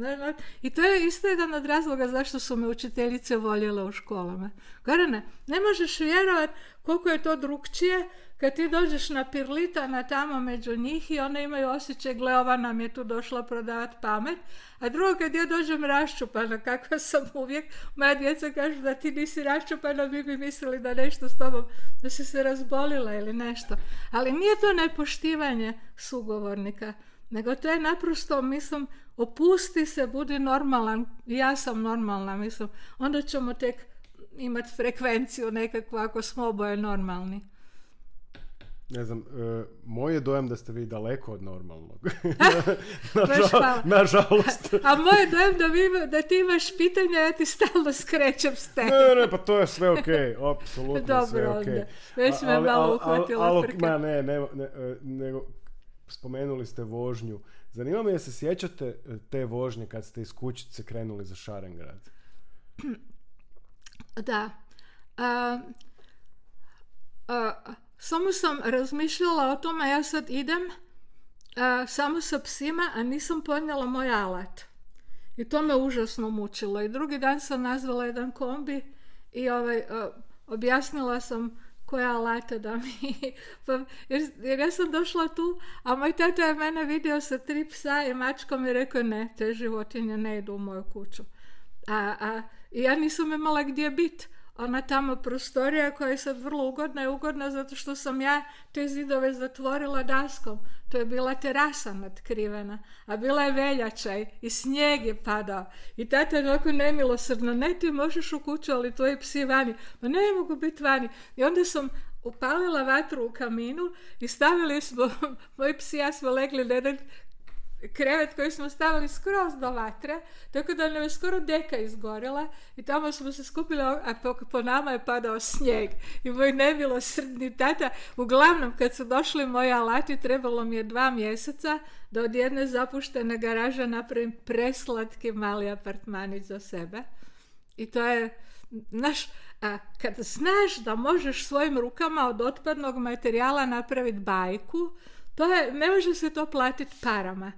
I to je isto jedan od razloga zašto su me učiteljice voljele u školama. Gorane, ne možeš vjerovati koliko je to drukčije kad ti dođeš na Pirlitana tamo među njih i one imaju osjećaj, gle, ova nam je tu došla prodavati pamet, a drugo kad ja dođem raščupana, kakva sam uvijek, moja djeca kažu da ti nisi raščupana, mi bi mislili da nešto s tobom, da si se razbolila ili nešto. Ali nije to nepoštivanje sugovornika, nego to je naprosto, mislim, opusti se, budi normalan, ja sam normalna, mislim, onda ćemo tek imati frekvenciju nekakvu ako smo oboje normalni. Ne znam, uh, moj je dojam da ste vi daleko od normalnog. Nažal, nažalost. A, a moj je dojam da, vi, da ti imaš pitanja, ja ti stalno skrećem s tebe. Ne, ne, pa to je sve okej, okay. Apsolutno dobro, sve okej. Okay. Već me ali, malo uhvatila al, al, frka. Ma ne, ne, ne, nego spomenuli ste vožnju. Zanima me je se sjećate te vožnje kad ste iz Kućice krenuli za Šarengrad? Da. A, a, samo sam razmišljala o tome, ja sad idem a, samo sa psima, a nisam ponijela moj alat. I to me užasno mučilo. I drugi dan sam nazvala jedan kombi i ovaj, a, objasnila sam koje alate da mi... Pa, jer, jer ja sam došla tu, a moj tata je mene vidio sa tri psa i mačkom i rekao, ne, te životinje ne idu u moju kuću. A, a, I ja nisam imala gdje biti. Ona tamo prostorija koja je sad vrlo ugodna je ugodna zato što sam ja te zidove zatvorila daskom. To je bila terasa natkrivena, a bila je veljača i snijeg je padao. I tata je ovako nemilosrdno, ne ti možeš u kuću, ali tvoji psi vani. Ma ne mogu biti vani. I onda sam upalila vatru u kaminu i stavili smo, moji psi ja smo legli na jedan krevet koji smo stavili skroz do vatre, tako da nam je skoro deka izgorila i tamo smo se skupili, a po, po nama je padao snijeg. I moj nemilosrdni tata, uglavnom kad su došli moji alati, trebalo mi je dva mjeseca da od jedne zapuštene garaže napravim preslatki mali apartmanić za sebe. I to je, znaš, a kad znaš da možeš svojim rukama od otpadnog materijala napraviti bajku, to je, ne može se to platiti parama.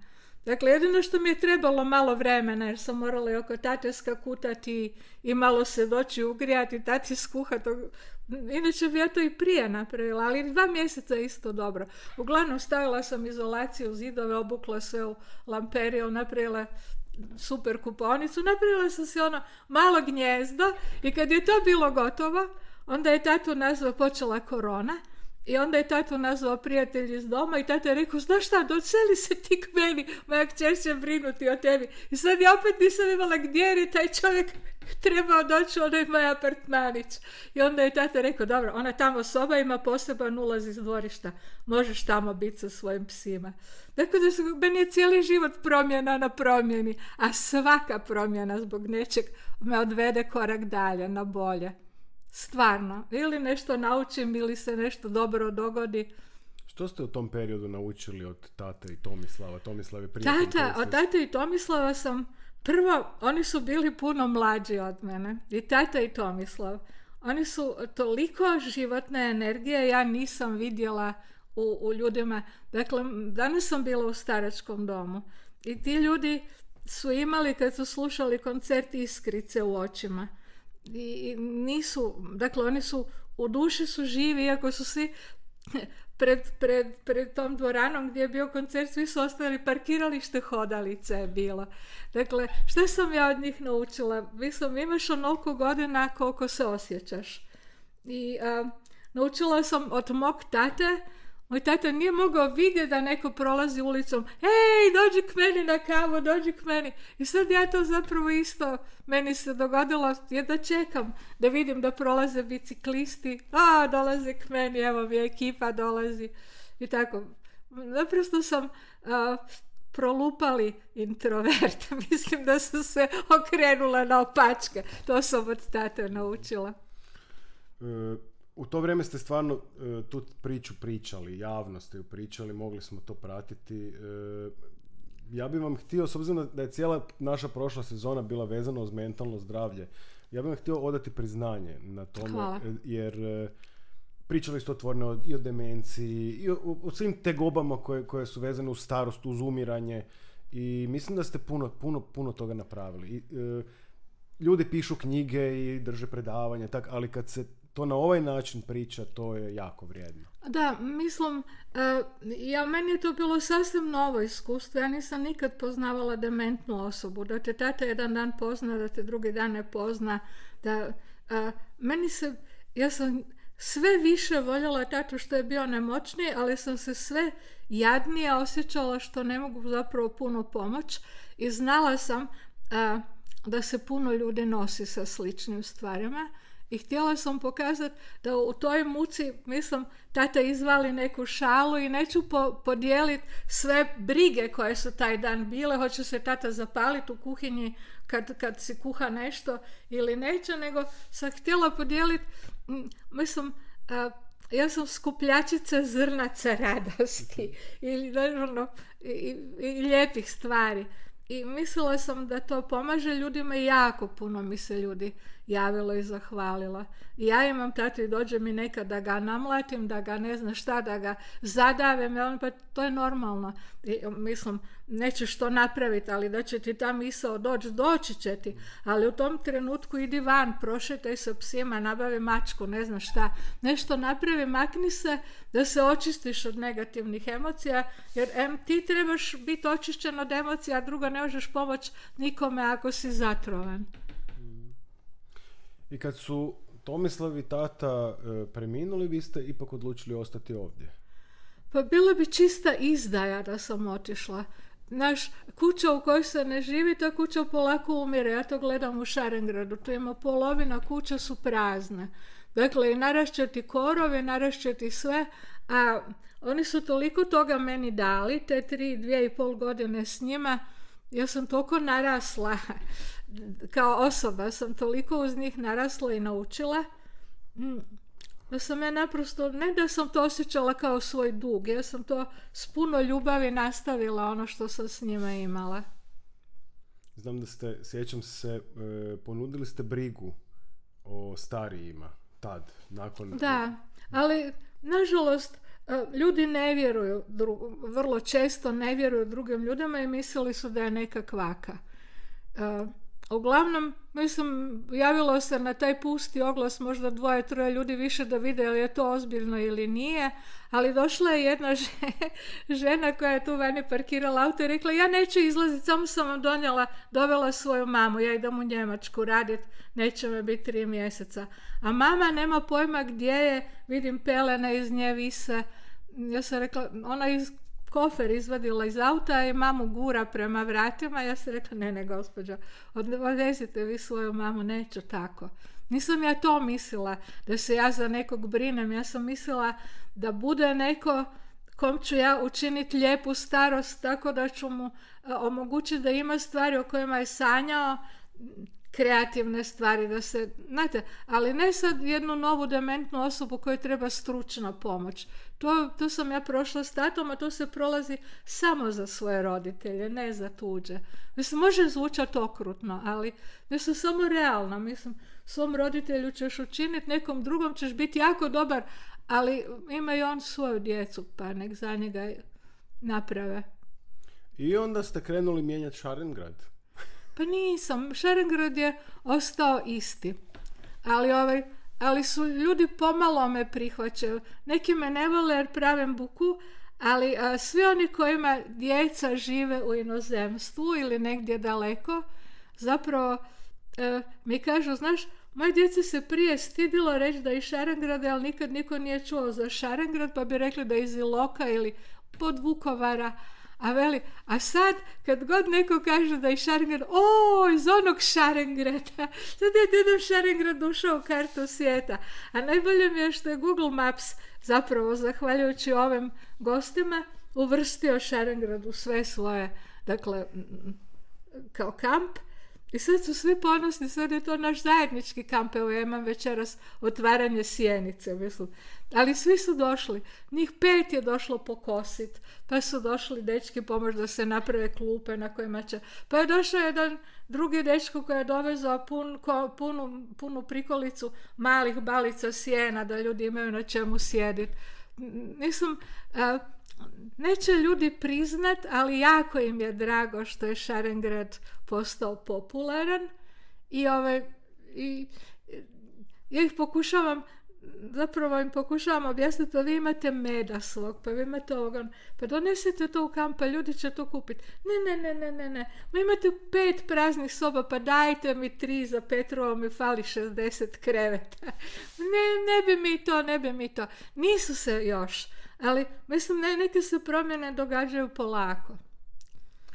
Dakle, jedino što mi je trebalo malo vremena, jer sam morala i oko tate skakutati i malo se doći ugrijati, tati skuhati. Inače bi ja to i prije napravila, ali dva mjeseca je isto dobro. Uglavnom stavila sam izolaciju, zidove, obukla sve u lamperiju, napravila super kupovnicu, napravila sam si ono malo gnjezdo i kad je to bilo gotovo, onda je tatu nazvao, počela korona. I onda je tatu nazvao prijatelj iz doma i tata je rekao, znaš šta, doceli se ti k meni, moja kćer će brinuti o tebi. I sad ja opet nisam imala gdje jer je taj čovjek trebao doći onaj moj apartmanić. I onda je tata rekao, dobro, ona tamo soba ima poseban ulaz iz dvorišta, možeš tamo biti sa svojim psima. Dakle, da su, meni je cijeli život promjena na promjeni, a svaka promjena zbog nečeg me odvede korak dalje, na bolje. Stvarno. Ili nešto naučim, ili se nešto dobro dogodi. Što ste u tom periodu naučili od tate i Tomislava? Tomislav je prijatelj. Tata, od tate i Tomislava sam, prvo, oni su bili puno mlađi od mene. I tata i Tomislav. Oni su toliko životne energije, ja nisam vidjela u, u ljudima. Dakle, danas sam bila u staračkom domu. I ti ljudi su imali, kad su slušali koncert, iskrice u očima. I nisu, dakle, oni su, u duši su živi, iako su svi pred, pred, pred tom dvoranom gdje je bio koncert, svi su ostali, parkiralište hodalice je bilo. Dakle, što sam ja od njih naučila? Mislim, imaš onoliko godina koliko se osjećaš. I a, naučila sam od mog tate. Moj tata nije mogao vidjeti da neko prolazi ulicom, ej, dođi k meni na kavu, dođi k meni. I sad ja to zapravo isto, meni se dogodilo, je da čekam, da vidim da prolaze biciklisti, a, dolaze k meni, evo mi ekipa dolazi. I tako, naprosto sam a, prolupali introvert, mislim da sam se okrenula na opačke, to sam od tate naučila. Uh. U to vrijeme ste stvarno uh, tu priču pričali, javno ste ju pričali, mogli smo to pratiti. Uh, ja bih vam htio, s obzirom da je cijela naša prošla sezona bila vezana uz mentalno zdravlje, ja bih vam htio odati priznanje na tome. Hvala. Jer uh, pričali ste otvoreno i o demenciji, i o, o svim tegobama koje, koje su vezane uz starost, uz umiranje, i mislim da ste puno, puno, puno toga napravili. I, uh, ljudi pišu knjige i drže predavanja, tak, ali kad se to na ovaj način priča, to je jako vrijedno. Da, mislim, uh, ja, meni je to bilo sasvim novo iskustvo. Ja nisam nikad poznavala dementnu osobu. Da te tata jedan dan pozna, da te drugi dan ne pozna. Da, uh, meni se, ja sam sve više voljela tatu što je bio nemoćniji, ali sam se sve jadnije osjećala što ne mogu zapravo puno pomoć. I znala sam uh, da se puno ljudi nosi sa sličnim stvarima. I htjela sam pokazati da u toj muci, mislim, tata izvali neku šalu i neću po, podijeliti sve brige koje su taj dan bile, hoće se tata zapaliti u kuhinji kad, kad si kuha nešto ili neće, nego sam htjela podijeliti, mislim, a, ja sam skupljačica zrnaca radosti ili naravno i, i, i lijepih stvari. I mislila sam da to pomaže ljudima i jako puno mi se ljudi javilo i zahvalila. I ja imam tatu i dođe mi nekad da ga namlatim, da ga ne zna šta, da ga zadavim, pa to je normalno. I, mislim, nećeš to napraviti, ali da će ti ta misao doći, doći će ti. Ali u tom trenutku idi van, prošetaj sa psima, nabavi mačku, ne znam šta. Nešto napravi, makni se da se očistiš od negativnih emocija, jer em, ti trebaš biti očišćen od emocija, a drugo ne možeš pomoći nikome ako si zatrovan. I kad su Tomislav i tata e, preminuli, vi ste ipak odlučili ostati ovdje? Pa bila bi čista izdaja da sam otišla. Naš kuća u kojoj se ne živi, ta kuća polako umire. Ja to gledam u Šarengradu. Tu ima polovina kuća su prazne. Dakle, i narašćati korovi, narašćati sve. A oni su toliko toga meni dali, te tri, dvije i pol godine s njima. Ja sam toliko narasla, kao osoba sam toliko uz njih narasla i naučila, da sam ja naprosto, ne da sam to osjećala kao svoj dug, ja sam to s puno ljubavi nastavila, ono što sam s njima imala. Znam da ste, sjećam se, e, ponudili ste brigu o starijima tad, nakon... Da, ali nažalost ljudi ne vjeruju, vrlo često ne vjeruju drugim ljudima i mislili su da je neka kvaka. Uh, uglavnom, mislim, javilo se na taj pusti oglas možda dvoje, troje ljudi više da vide je to ozbiljno ili nije, ali došla je jedna žena koja je tu vani parkirala auto i rekla, ja neću izlaziti, samo sam vam donijela, dovela svoju mamu, ja idem u Njemačku raditi, neće me biti tri mjeseca. A mama nema pojma gdje je, vidim pelene iz nje vise. Ja sam rekla, ona iz kofer izvadila iz auta i mamu gura prema vratima. Ja sam rekla, ne, ne, gospođo, odvezite vi svoju mamu, neću tako. Nisam ja to mislila, da se ja za nekog brinem. Ja sam mislila da bude neko kom ću ja učiniti lijepu starost, tako da ću mu omogućiti da ima stvari o kojima je sanjao, kreativne stvari, da se, znate, ali ne sad jednu novu dementnu osobu kojoj treba stručna pomoć. To, to sam ja prošla s tatom, a to se prolazi samo za svoje roditelje, ne za tuđe. Mislim, može zvučati okrutno, ali mislim, samo realno. Mislim, svom roditelju ćeš učiniti, nekom drugom ćeš biti jako dobar, ali ima i on svoju djecu, pa nek za njega naprave. I onda ste krenuli mijenjati Šarengrad. Pa nisam, Šarengrad je ostao isti, ali, ovaj, ali su ljudi pomalo me prihvaćaju. Neki me ne vole jer pravim buku, ali a, svi oni kojima djeca žive u inozemstvu ili negdje daleko, zapravo a, mi kažu, znaš, moje djece se prije stidilo reći da je iz Šarengrada, ali nikad niko nije čuo za Šarengrad, pa bi rekli da je iz Iloka ili pod Vukovara. A veli, a sad kad god neko kaže da je Šarengrad, o, iz onog Šarengrada, sad je dedom Šarengrad ušao u kartu svijeta. A najbolje mi je što je Google Maps zapravo, zahvaljujući ovim gostima, uvrstio Šarengrad u sve svoje, dakle, kao kamp. I sad su svi ponosni, sad je to naš zajednički kamp, evo ja imam večeras otvaranje sjenice, mislim. Ali svi su došli, njih pet je došlo pokosit, pa su došli dečki pomoć da se naprave klupe na kojima će, pa je došao jedan drugi dečko koji je dovezao pun, ko, punu, punu prikolicu malih balica sjena da ljudi imaju na čemu sjediti. Mislim, a, neće ljudi priznat, ali jako im je drago što je Šarengrad postao popularan i, ove, i ja ih pokušavam zapravo im pokušavam objasniti, pa vi imate meda svog, pa vi imate ovoga, pa donesite to u kamp, pa ljudi će to kupiti. Ne, ne, ne, ne, ne, ne. Ma imate pet praznih soba, pa dajte mi tri za Petrovo, mi fali šezdeset kreveta. Ne, ne bi mi to, ne bi mi to. Nisu se još, ali mislim, ne, neke se promjene događaju polako.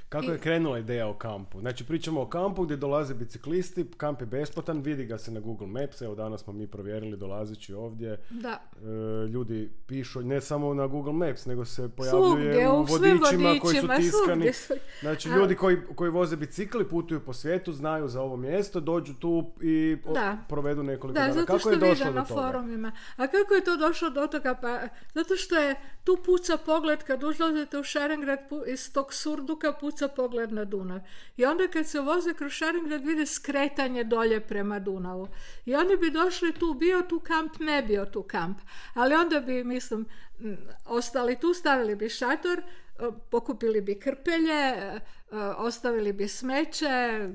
Kako je krenula ideja o kampu? Znači, pričamo o kampu gdje dolaze biciklisti, kamp je besplatan, vidi ga se na Google Maps, evo danas smo mi provjerili dolazeći ovdje. Da. E, ljudi pišu, ne samo na Google Maps, nego se pojavljuje svugdje, u vodičima, vodičima koji su tiskani. Su... Znači, ljudi koji, koji voze bicikli, putuju po svijetu, znaju za ovo mjesto, dođu tu i o, provedu nekoliko da, dana. Zato kako je došlo na do toga? Forumima. A kako je to došlo do toga? Pa, zato što je tu puca pogled, kad ulazite u Šarengrad, iz tog surduka puca pogled na Dunav. I onda kad se voze kroz Šarengrad vide skretanje dolje prema Dunavu. I oni bi došli tu, bio tu kamp, ne bio tu kamp. Ali onda bi, mislim, ostali tu, stavili bi šator, pokupili bi krpelje, ostavili bi smeće,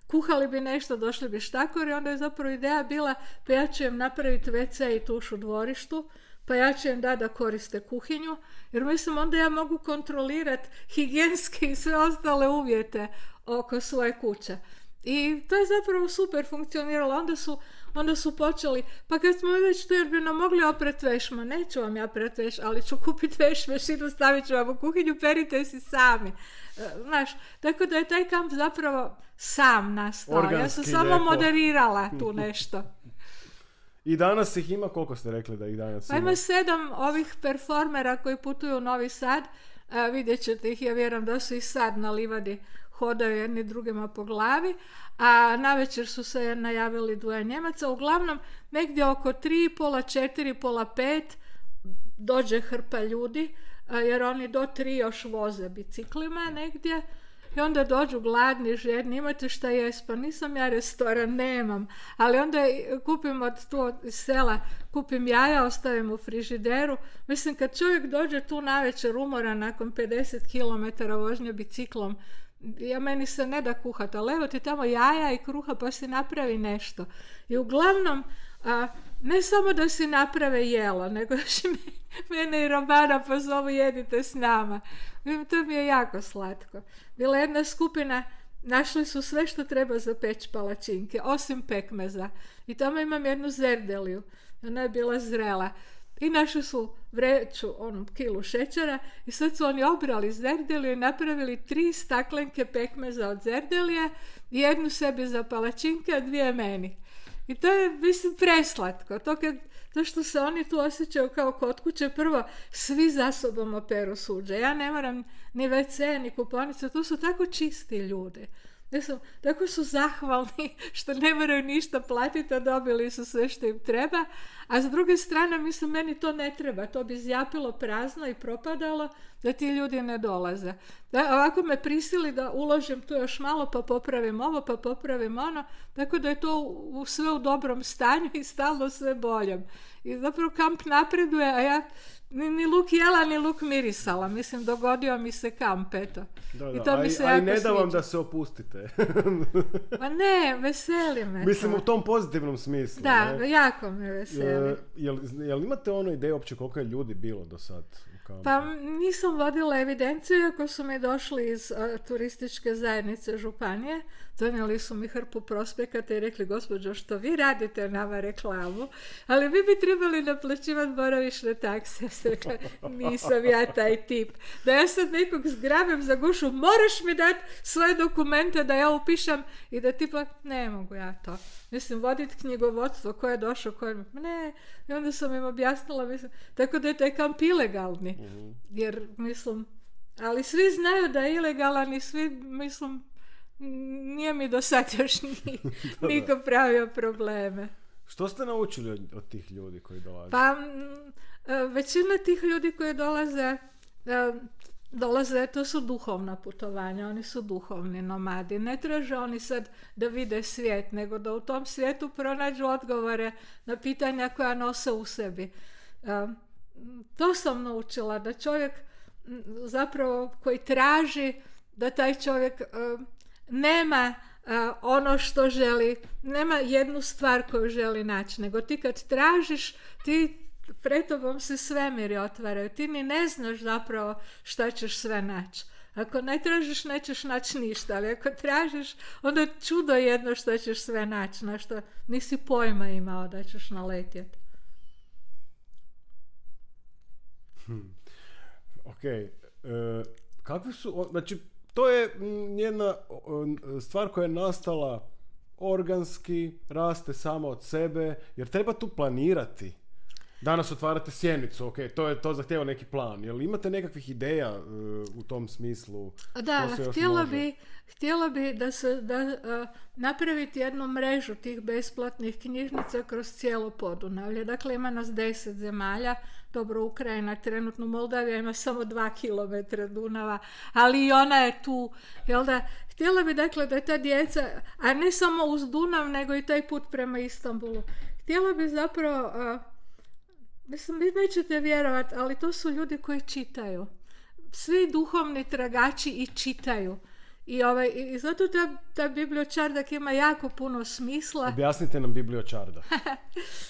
kuhali bi nešto, došli bi štakori. Onda je zapravo ideja bila, pa ja ću im napraviti ve ce i tuš u dvorištu, pa ja ću im da da koriste kuhinju, jer mislim onda ja mogu kontrolirati higijenske i sve ostale uvjete oko svoje kuće. I to je zapravo super funkcioniralo. Onda su, onda su počeli, pa kad smo već tu, jer bi nam mogli opret vešma, neću vam ja pret veš, ali ću kupiti veš mašinu, stavit ću vam u kuhinju, perite si sami. Znaš, tako da je taj kamp zapravo sam nastao. Organski, ja sam samo lijepo moderirala tu nešto. I danas ih ima, koliko ste rekli da ih danas ima? Pa ima sedam ovih performera koji putuju u Novi Sad. A, vidjet ćete ih, ja vjerujem da su i sad na livadi, hodaju jedni drugima po glavi. A navečer su se najavili dvoje Njemaca. Uglavnom, negdje oko tri, pola četiri, pola pet dođe hrpa ljudi, a, jer oni do tri još voze biciklima negdje. I onda dođu gladni, žedni, imate šta jest, pa nisam ja restoran, nemam. Ali onda kupim od tu iz sela, kupim jaja, ostavim u frižideru. Mislim, kad čovjek dođe tu navečer umoran nakon pedeset kilometara vožnje biciklom, ja meni se ne da kuhati, ali evo ti tamo jaja i kruha pa si napravi nešto. I uglavnom, a, ne samo da si naprave jelo, nego još i mene i Romana pozovu jedite s nama. To mi je jako slatko. Bila jedna skupina, našli su sve što treba za peć palačinke, osim pekmeza. I tamo imam jednu zerdeliju. Ona je bila zrela. i našli su vreću, onu kilu šećera i sad su oni obrali zerdeliju i napravili tri staklenke pekmeza od zerdelije, jednu sebi za palačinke, a dvije meni. I to je, mislim, preslatko. To, kad, to što se oni tu osjećaju kao kod kuće, prvo, svi za sobom operu suđe. Ja ne moram ni ve ce, ni kuponicu, tu su tako čisti ljudi. Mislim, tako su zahvalni što ne moraju ništa platiti, a dobili su sve što im treba. A s druge strane, mislim, meni to ne treba. To bi zjapilo prazno i propadalo da ti ljudi ne dolaze. Da, ovako me prisili da uložim tu još malo, pa popravim ovo, pa popravim ono. Tako da je to u, sve u dobrom stanju i stalno sve boljem. I zapravo kamp napreduje, a ja ni, ni luk jela, ni luk mirisala. Mislim, dogodio mi se kamp, eto. Da, da. I to mi se a, jako i ne da vam sviđa. da se opustite. Ma ne, veseli me. Mislim, to. u tom pozitivnom smislu. Da, ne? jako me veseli. Je, jel, jel imate ono ideju uopće koliko je ljudi bilo do sad u kampu? Pa nisam vodila evidenciju, ako su mi došli iz a, turističke zajednice županije, donijeli su mi hrpu prospekata i rekli, gospođo, što vi radite nama reklamu, ali vi bi trebali naplaćivati boravišne takse. Ja sam rekla, nisam ja taj tip. Da ja sad nekog zgrabim za gušu, moraš mi dati svoje dokumente da ja upišem i da tipa, ne mogu ja to. Mislim, voditi knjigovodstvo, ko je došao, ko je... Ne, i onda sam im objasnila, mislim, tako da je taj kamp ilegalni. Mm-hmm. Jer, mislim, ali svi znaju da je ilegalan i svi, mislim, nije mi do sad još ni, niko pravio probleme. Što ste naučili od, od tih ljudi koji dolaze? Pa, m, većina tih ljudi koji dolaze, dolaze, to su duhovna putovanja, oni su duhovni nomadi. Ne traže oni sad da vide svijet, nego da u tom svijetu pronađu odgovore na pitanja koja nose u sebi. To sam naučila, da čovjek zapravo koji traži, da taj čovjek nema ono što želi, nema jednu stvar koju želi naći, nego ti kad tražiš, ti pred tobom se svemiri otvaraju, ti ni ne znaš zapravo šta ćeš sve naći. Ako ne tražiš, nećeš naći ništa, ali ako tražiš, onda čudo jedno što ćeš sve naći, na što nisi pojma imao da ćeš naletjeti. Hmm. Ok, e, kakvi su, znači, to je jedna stvar koja je nastala organski, raste sama od sebe, jer treba tu planirati. Danas otvarate sjenicu, ok, to je to zahtjeva neki plan. Jel imate nekakvih ideja uh, u tom smislu? Da, htjela bi, htjela bi da se da, uh, napraviti jednu mrežu tih besplatnih knjižnica kroz cijelo Podunavlje. Dakle, ima nas deset zemalja. Dobro, Ukrajina trenutno, Moldavija ima samo dva kilometra Dunava, ali i ona je tu. Jel da? Htjela bi, dakle, da ta djeca, a ne samo uz Dunav, nego i taj put prema Istanbulu. Htjela bi zapravo... Uh, Mislim, vi nećete vjerovati, ali to su ljudi koji čitaju. Svi duhovni tragači i čitaju. I, ovaj, i zato ta, ta bibliočardak ima jako puno smisla. Objasnite nam bibliočardak.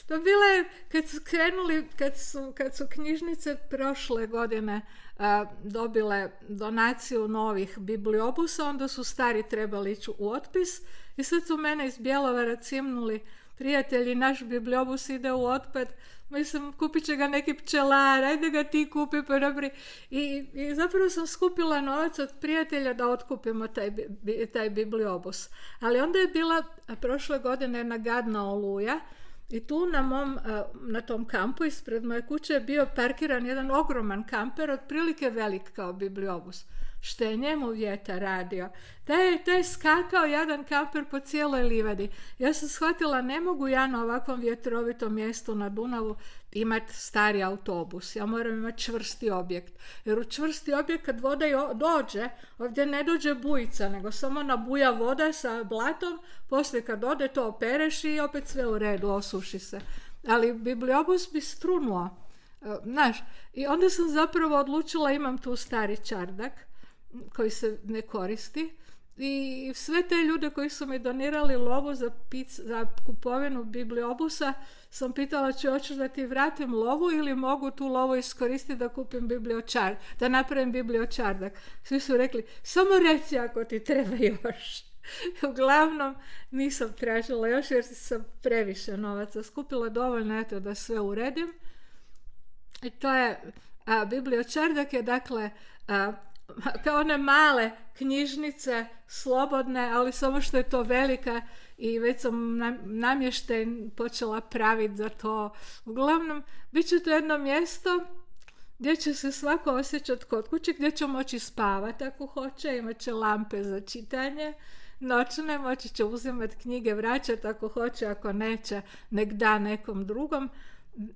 To bilo je, kad su krenuli, kad su, kad su knjižnice prošle godine a, dobile donaciju novih bibliobusa, onda su stari trebali ići u otpis i sad su mene iz Bjelovara cimnuli, prijatelji, naš bibliobus ide u otpad, mislim, kupit će ga neki pčelar, ajde ga ti kupi, pa dobri. I, i zapravo sam skupila novac od prijatelja da otkupimo taj, bi, taj bibliobus. Ali onda je bila prošle godine jedna gadna oluja i tu na mom, na tom kampu ispred moje kuće je bio parkiran jedan ogroman kamper, otprilike velik kao bibliobus. Što je njemu vjetar radio. Taj je, taj je skakao jedan kamper po cijeloj livadi. Ja sam shvatila, ne mogu ja na ovakvom vjetrovitom mjestu na Dunavu imati stari autobus. Ja moram imati čvrsti objekt. Jer u čvrsti objekt kad voda dođe, ovdje ne dođe bujica, nego samo nabuja voda sa blatom, poslije kad ode to opereš i opet sve u redu, osuši se. Ali bibliobus bi strunuo. Znaš, i onda sam zapravo odlučila, imam tu stari čardak koji se ne koristi i sve te ljude koji su mi donirali lovu za, pic, za kupovinu bibliobusa sam pitala, če hoćeš da ti vratim lovu ili mogu tu lovu iskoristiti da kupim bibliočar, da napravim bibliočardak. Svi su rekli, samo reci ako ti treba još. Uglavnom nisam tražila još jer sam previše novaca skupila, dovoljno eto da sve uredim. I to je, a, bibliočardak je dakle a, kao one male knjižnice, slobodne, ali samo što je to velika i već sam namještaj počela praviti za to. Uglavnom, bit će to jedno mjesto gdje će se svako osjećati kod kuće, gdje će moći spavati ako hoće, imat će lampe za čitanje noćne, moći će uzimati knjige, vraćati ako hoće, ako neće, nek da nekom drugom.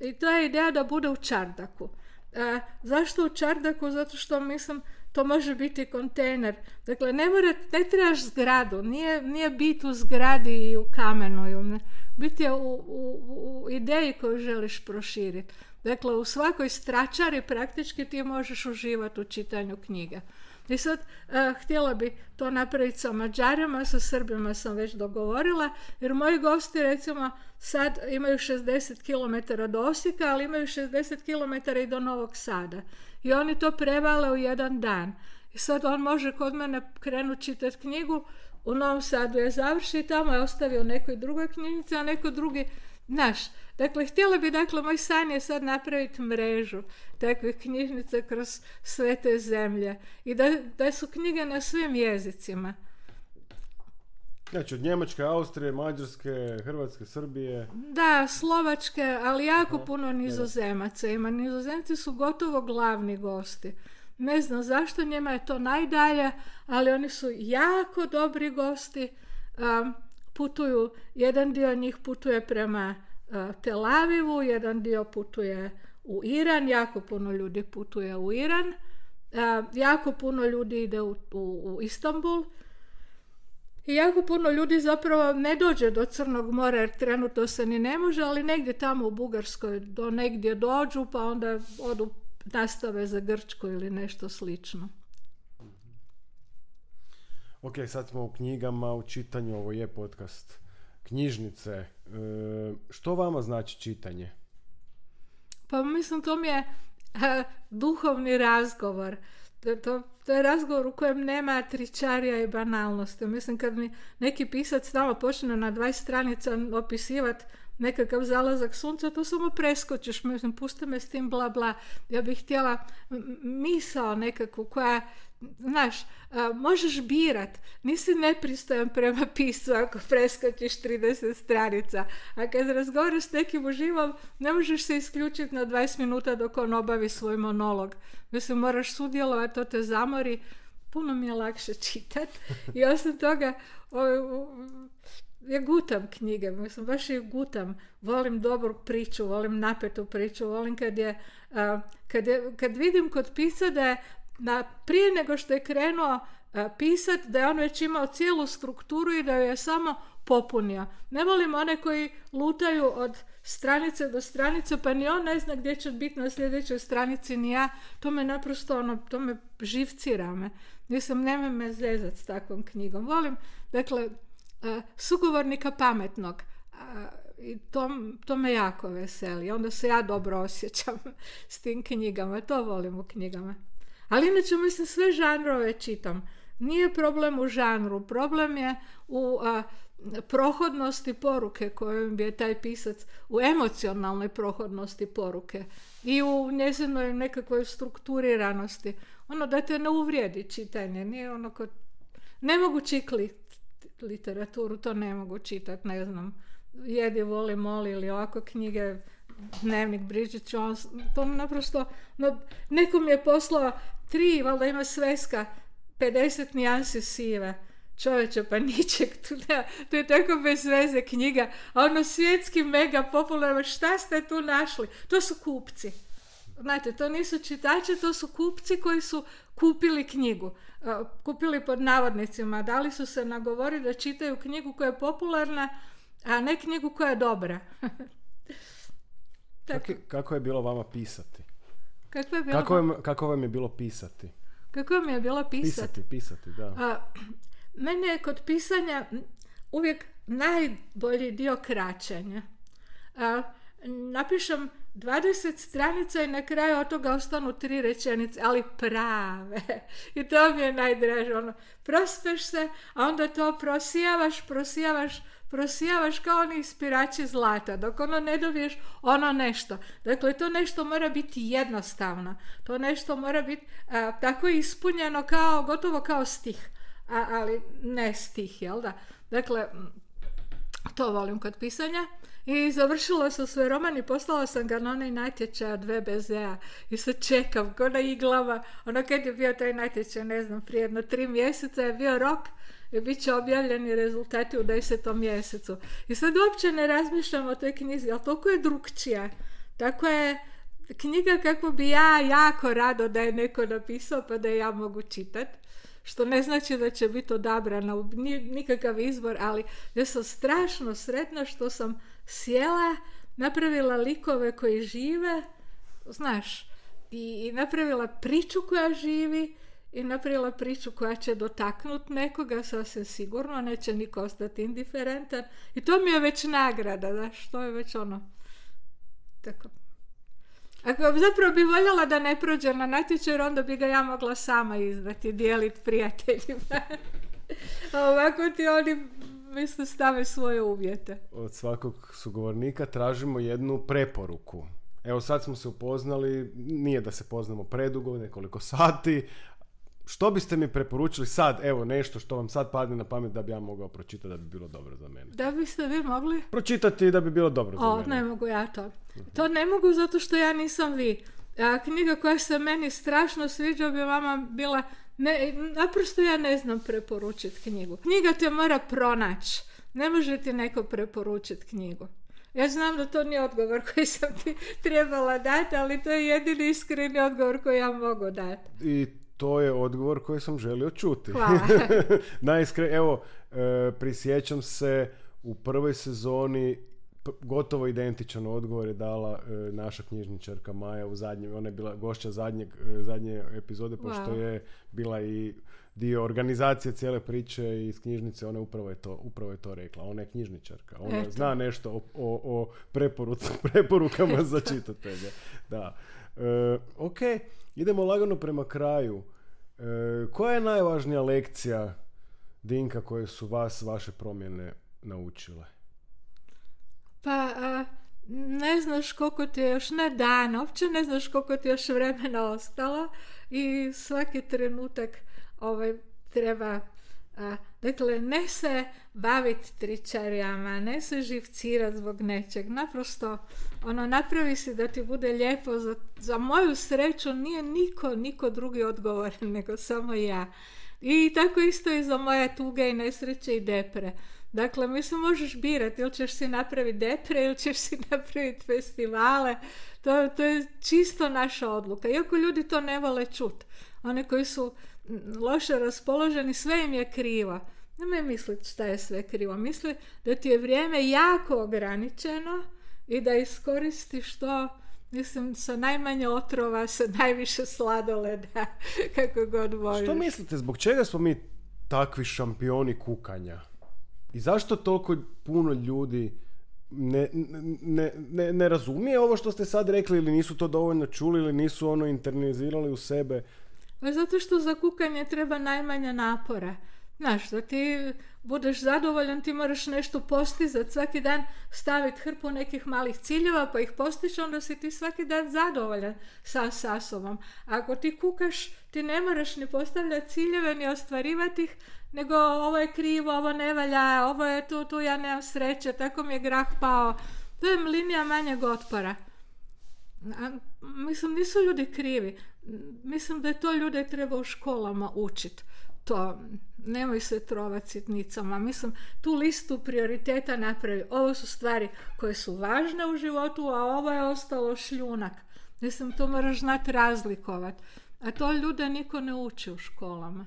I to je ideja da bude u čardaku. A, zašto u čardaku? Zato što mislim to može biti kontejner. Dakle, ne, mora, ne trebaš zgradu, nije, nije bit u zgradi i u kamenu. Bit je u, u, u ideji koju želiš proširiti. Dakle, u svakoj stračari praktički ti možeš uživati u čitanju knjiga. I sad, uh, htjela bi to napraviti sa Mađarima, sa Srbima sam već dogovorila, jer moji gosti recimo sad imaju šezdeset kilometara do Osijeka, ali imaju šezdeset kilometara i do Novog Sada. I oni to prevale u jedan dan. I sad on može kod mene krenuti čitati knjigu, u Novom Sadu je završi i tamo je ostavio u nekoj drugoj knjižnici, a neko drugi naš. Dakle, htjela bi, dakle, moj san je sad napraviti mrežu takvih knjižnica kroz sve te zemlje i da, da su knjige na svim jezicima. Znači, od Njemačke, Austrije, Mađarske, Hrvatske, Srbije. Da, Slovačke, ali jako Aha, puno Nizozemaca ima. Nizozemci su gotovo glavni gosti. Ne znam zašto, njima je to najdalje, ali oni su jako dobri gosti. Um, putuju, jedan dio njih putuje prema uh, Tel Avivu, jedan dio putuje u Iran, jako puno ljudi putuje u Iran, uh, jako puno ljudi ide u, u, u Istanbul i jako puno ljudi zapravo ne dođe do Crnog mora jer trenutno se ni ne može, ali negdje tamo u Bugarskoj do negdje dođu pa onda odu nastave za Grčku ili nešto slično. Ok, sad smo u knjigama, u čitanju, ovo je podcast knjižnice. E, što vama znači čitanje? Pa mislim, to mi je a, duhovni razgovor. To, to, to je razgovor u kojem nema tričarija i banalnosti. Mislim, kad mi neki pisac tamo počne na dvadeset stranica opisivati nekakav zalazak sunca, to samo preskočiš. Mislim, pusti me s tim bla bla. Ja bih htjela misao nekakvu koja, znaš, a, možeš birat. Nisi nepristojan prema piscu ako preskočiš trideset stranica. A kad razgovaraš s nekim uživom, ne možeš se isključiti na dvadeset minuta dok on obavi svoj monolog. Mislim, moraš sudjelovati, to te zamori. Puno mi je lakše čitati. I osim toga, o, o, ja gutam knjige, mislim, baš ih gutam. Volim dobru priču, volim napetu priču, volim kad je, a, kad, je kad vidim kod pisa da je na, prije nego što je krenuo a, pisat, da je on već imao cijelu strukturu i da ju je samo popunio. Ne volim one koji lutaju od stranice do stranice, pa ni on ne zna gdje će biti na sljedećoj stranici, ni ja. To me naprosto, ono, to me živcira me. Nisam, nemoj me zezat s takvom knjigom. Volim, dakle, Uh, sugovornika pametnog uh, i to, to me jako veseli. Onda se ja dobro osjećam s tim knjigama. To volim u knjigama. Ali inače, mislim, sve žanrove čitam. Nije problem u žanru. Problem je u uh, prohodnosti poruke koju je taj pisac, u emocionalnoj prohodnosti poruke i u njezinoj nekakvoj strukturiranosti. Ono da te ne uvrijedi čitanje. Nije ono kod... Ne mogu čikli literaturu, to ne mogu čitati, ne znam, Jedi, voli, moli ili ovako knjige, Dnevnik Bridget Jones, to naprosto, no, neko mi je poslao tri, valjda ima sveska, pedeset nijansi sive. Čovječe, pa ničeg, tu ne, to je tako bez veze knjiga, a ono svjetski mega popularno, šta ste tu našli? To su kupci. Znate, to nisu čitači, to su kupci koji su kupili knjigu. Uh, kupili pod navodnicima, dali su se nagovoriti da čitaju knjigu koja je popularna, a ne knjigu koja je dobra. Kako, kako je bilo vama pisati? Kako, je bilo kako, vam, kako vam je bilo pisati? Kako vam je bilo pisati? Pisati, pisati, da. Uh, mene je kod pisanja uvijek najbolji dio kraćenja. Uh, napišem dvadeset stranica i na kraju od toga ostanu tri rečenice, ali prave. I to mi je najdraže. Ono, prospeš se, a onda to prosijavaš, prosijavaš, prosijavaš kao oni ispirači zlata, dok ono ne dobiješ ono nešto. Dakle, to nešto mora biti jednostavno. To nešto mora biti a, tako ispunjeno kao, gotovo kao stih. A, ali ne stih, jel da? Dakle, to volim kod pisanja. I završila sam svoj roman i poslala sam ga na onaj natječaj od ve be zea i sad čekam ko na iglama. Ono kad je bio taj natječaj, ne znam, prije jedno tri mjeseca je bio rok i bit će objavljeni rezultati u desetom mjesecu. I sad uopće ne razmišljam o toj knjizi, ali toliko je drukčija. Tako je knjiga kako bi ja jako rado da je neko napisao pa da je ja mogu čitati. Što ne znači da će biti odabrana u nikakav izbor, ali ja sam strašno sretna što sam sjela, napravila likove koji žive, znaš, i, i napravila priču koja živi i napravila priču koja će dotaknuti nekoga, sasvim sigurno, neće niko ostati indiferentan. I to mi je već nagrada, znaš, to je već ono, tako. Ako zapravo bi voljela da ne prođe na natječaj, onda bi ga ja mogla sama izdati, dijeliti prijateljima. Ovako ti oni, mislim, stave svoje uvjete. Od svakog sugovornika tražimo jednu preporuku. Evo sad smo se upoznali, nije da se poznamo predugo, nekoliko sati. Što biste mi preporučili sad, evo nešto što vam sad padne na pamet da bi ja mogao pročitati da bi bilo dobro za mene? Da biste vi mogli? Pročitati da bi bilo dobro za o, mene. Ne mogu ja to. To ne mogu zato što ja nisam vi. A, knjiga koja se meni strašno sviđa bi vama bila... Ne, naprosto ja ne znam preporučiti knjigu. Knjiga te mora pronaći. Ne može ti neko preporučiti knjigu. Ja znam da to nije odgovor koji sam ti trebala dati, ali to je jedini iskreni odgovor koji ja mogu dati. I to je odgovor koji sam želio čuti. Hvala. Najiskre, evo, e, prisjećam se u prvoj sezoni p- gotovo identičan odgovor je dala e, naša knjižničarka Maja u zadnjem, ona je bila gošća zadnjeg, e, zadnje epizode, pošto wow. je bila i dio organizacije cijele priče iz knjižnice, ona upravo je to, upravo je to rekla. Ona je knjižničarka, ona Eto. zna nešto o, o, o preporuc, preporukama za čitatelje. Da. E, ok, idemo lagano prema kraju. E, koja je najvažnija lekcija, Dinka, koje su vas, vaše promjene naučile? Pa, a, ne znaš koliko ti je još ne dan, uopće ne znaš koliko ti je još vremena ostalo i svaki trenutak ovaj, treba... A, dakle, ne se baviti tričarijama, ne se živcirati zbog nečeg. Naprosto, ono, napravi si da ti bude lijepo. Za, za moju sreću nije niko, niko drugi odgovoran, nego samo ja. I tako isto i za moje tuge i nesreće i depre. Dakle, mislim, možeš birati ili ćeš si napraviti depre ili ćeš si napraviti festivale. To, to je čisto naša odluka. Iako ljudi to ne vole čuti. Oni koji su loše raspoloženi, sve im je krivo. Nemoj misliti šta je sve krivo. Misli da ti je vrijeme jako ograničeno i da iskoristiš to, mislim, sa najmanje otrova, sa najviše sladoleda, kako god voliš. Što mislite, zbog čega smo mi takvi šampioni kukanja? I zašto toliko puno ljudi ne, ne, ne, ne razumije ovo što ste sad rekli, ili nisu to dovoljno čuli, ili nisu ono internalizirali u sebe? Zato što za kukanje treba najmanje napora. Znaš, da ti budeš zadovoljan, ti moraš nešto postizati, svaki dan staviti hrpu nekih malih ciljeva, pa ih postići, onda si ti svaki dan zadovoljan sa, sa sobom. A ako ti kukaš, ti ne moraš ni postavljati ciljeve, ni ostvarivati ih, nego ovo je krivo, ovo ne valja, ovo je tu, tu ja nemam sreće, tako mi je grah pao. To je linija manjeg otpora. A, mislim, nisu ljudi krivi. Mislim da je to ljude treba u školama učiti. To, nemoj se trovati sitnicama. Mislim, tu listu prioriteta napravi. Ovo su stvari koje su važne u životu, a ovo je ostalo šljunak. Mislim, to moraš znati razlikovati. A to ljude niko ne uči u školama.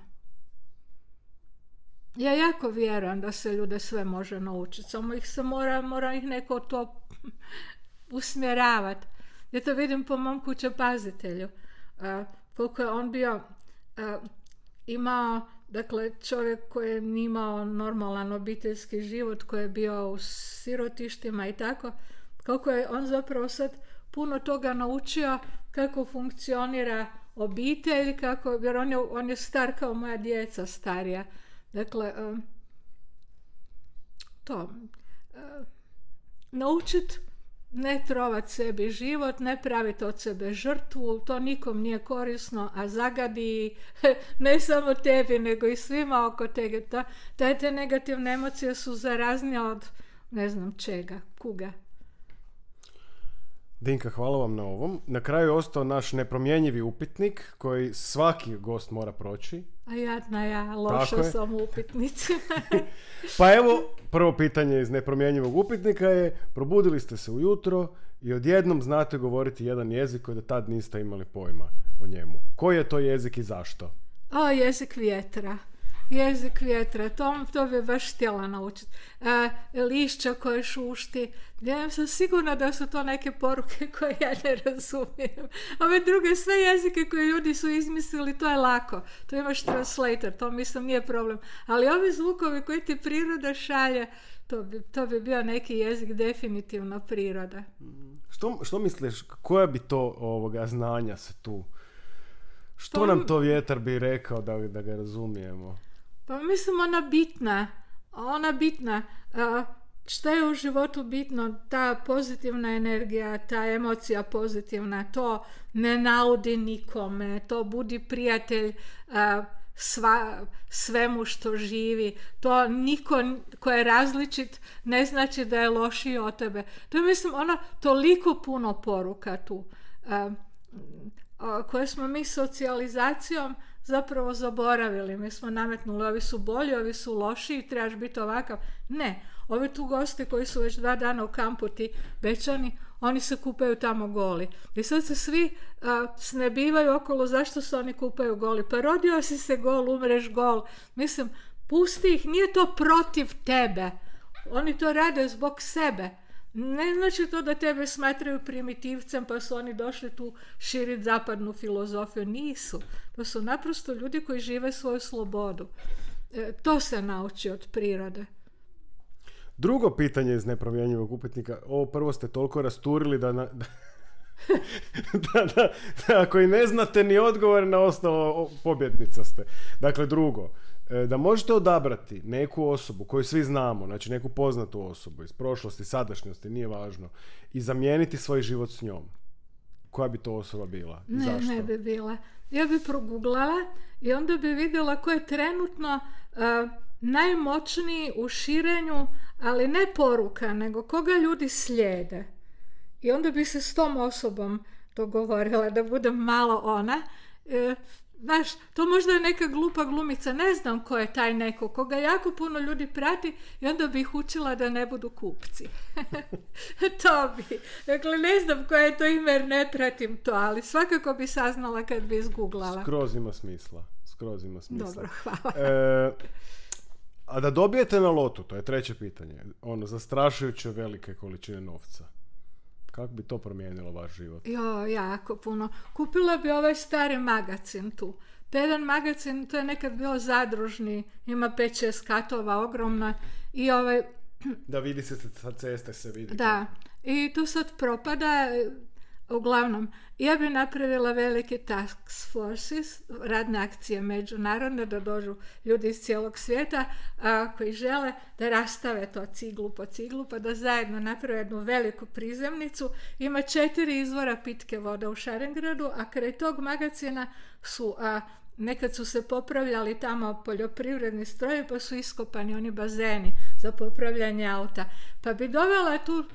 Ja jako vjerujem da se ljude sve može naučiti. Samo ih se mora, mora ih neko to usmjeravati. Ja to vidim po mom kućepazitelju. Uh, koliko je on bio uh, imao, dakle, čovjek koji je imao normalan obiteljski život, koji je bio u sirotištima i tako, kako je on zapravo sad puno toga naučio kako funkcionira obitelj, kako, jer on je, on je star kao moja djeca starija. Dakle, um, to, uh, naučit ne trovat sebi život, ne praviti od sebe žrtvu, to nikom nije korisno, a zagadi ne samo tebi, nego i svima oko tebe. Ta, te, te negativne emocije su zaraznije od ne znam čega, kuga. Dinka, hvala vam na ovom. Na kraju je ostao naš nepromjenjivi upitnik koji svaki gost mora proći. A jadna ja, loša sam u upitnicima. Pa evo, prvo pitanje iz nepromjenjivog upitnika je: probudili ste se ujutro i odjednom znate govoriti jedan jezik koji do tad niste imali pojma o njemu. Koji je to jezik i zašto? O, jezik vjetra. Jezik vjetra, to, to bi baš htjela naučiti. E, lišća koje šušti. Ja sam sigurna da su to neke poruke koje ja ne razumijem. Ove druge sve jezike koje ljudi su izmislili, to je lako. To imaš translator, to mislim nije problem. Ali ovi zvukovi koji ti priroda šalje, to bi, to bi bio neki jezik definitivno priroda. Što, što misliš, koja bi to ovoga znanja se tu... Što nam to vjetar bi rekao da, da ga razumijemo? Pa mislim ona bitna, ona bitna, uh, šta je u životu bitno, ta pozitivna energija, ta emocija pozitivna, to ne naudi nikome, to budi prijatelj uh, sva, svemu što živi, to niko ko je različit ne znači da je lošiji od tebe. To je mislim ona toliko puno poruka tu, uh, uh, koje smo mi socijalizacijom zapravo zaboravili. Mi smo nametnuli, ovi su bolji, ovi su lošiji, trebaš biti ovakav. Ne, ovi tu gosti koji su već dva dana u kampu, ti Bečani, oni se kupaju tamo goli. I sad se svi uh, snebivaju okolo zašto se oni kupaju goli. Pa rodio si se gol, umreš gol. Mislim, pusti ih, nije to protiv tebe. Oni to rade zbog sebe. Ne znači to da tebe smatraju primitivcem pa su oni došli tu širiti zapadnu filozofiju. Nisu. To su naprosto ljudi koji žive svoju slobodu. E, to se nauči od prirode. Drugo pitanje iz nepromjenjivog upitnika. Ovo prvo ste toliko rasturili da, na, da, da, da, da ako i ne znate ni odgovor na osnovu, pobjednica ste. Dakle, drugo. Da možete odabrati neku osobu koju svi znamo, znači neku poznatu osobu iz prošlosti, sadašnjosti, nije važno, i zamijeniti svoj život s njom. Koja bi to osoba bila? Ne, zašto? ne bi bila. Ja bi proguglala i onda bi vidjela ko je trenutno uh, najmoćniji u širenju, ali ne poruka, nego koga ljudi slijede. I onda bi se s tom osobom dogovorila da budem malo ona. Uh, Znaš, to možda je neka glupa glumica, ne znam ko je taj neko, koga jako puno ljudi prati i onda bi ih učila da ne budu kupci. To bi. Dakle, ne znam koje je to ime jer ne pratim to, ali svakako bi saznala kad bi izguglala. Skroz ima smisla. Skroz ima smisla. Dobro, hvala. E, a da dobijete na lotu, to je treće pitanje, ono, zastrašujuće velike količine novca. Kako bi to promijenilo vaš život? Jo, jako puno. Kupila bi ovaj stari magazin tu. To je jedan magazin, to je nekad bio zadružni, ima pet šest katova, ogromna. I ovaj... Da vidi se sa ceste, se vidi. Da, i tu sad propada. Uglavnom, ja bi napravila velike task forces, radne akcije međunarodne, da dođu ljudi iz cijelog svijeta a, koji žele da rastave to ciglu po ciglu, pa da zajedno naprave jednu veliku prizemnicu. Ima četiri izvora pitke vode u Šarengradu, a kraj tog magazina su... A, nekad su se popravljali tamo poljoprivredni strojevi, pa su iskopani oni bazeni za popravljanje auta. Pa bi dovela tu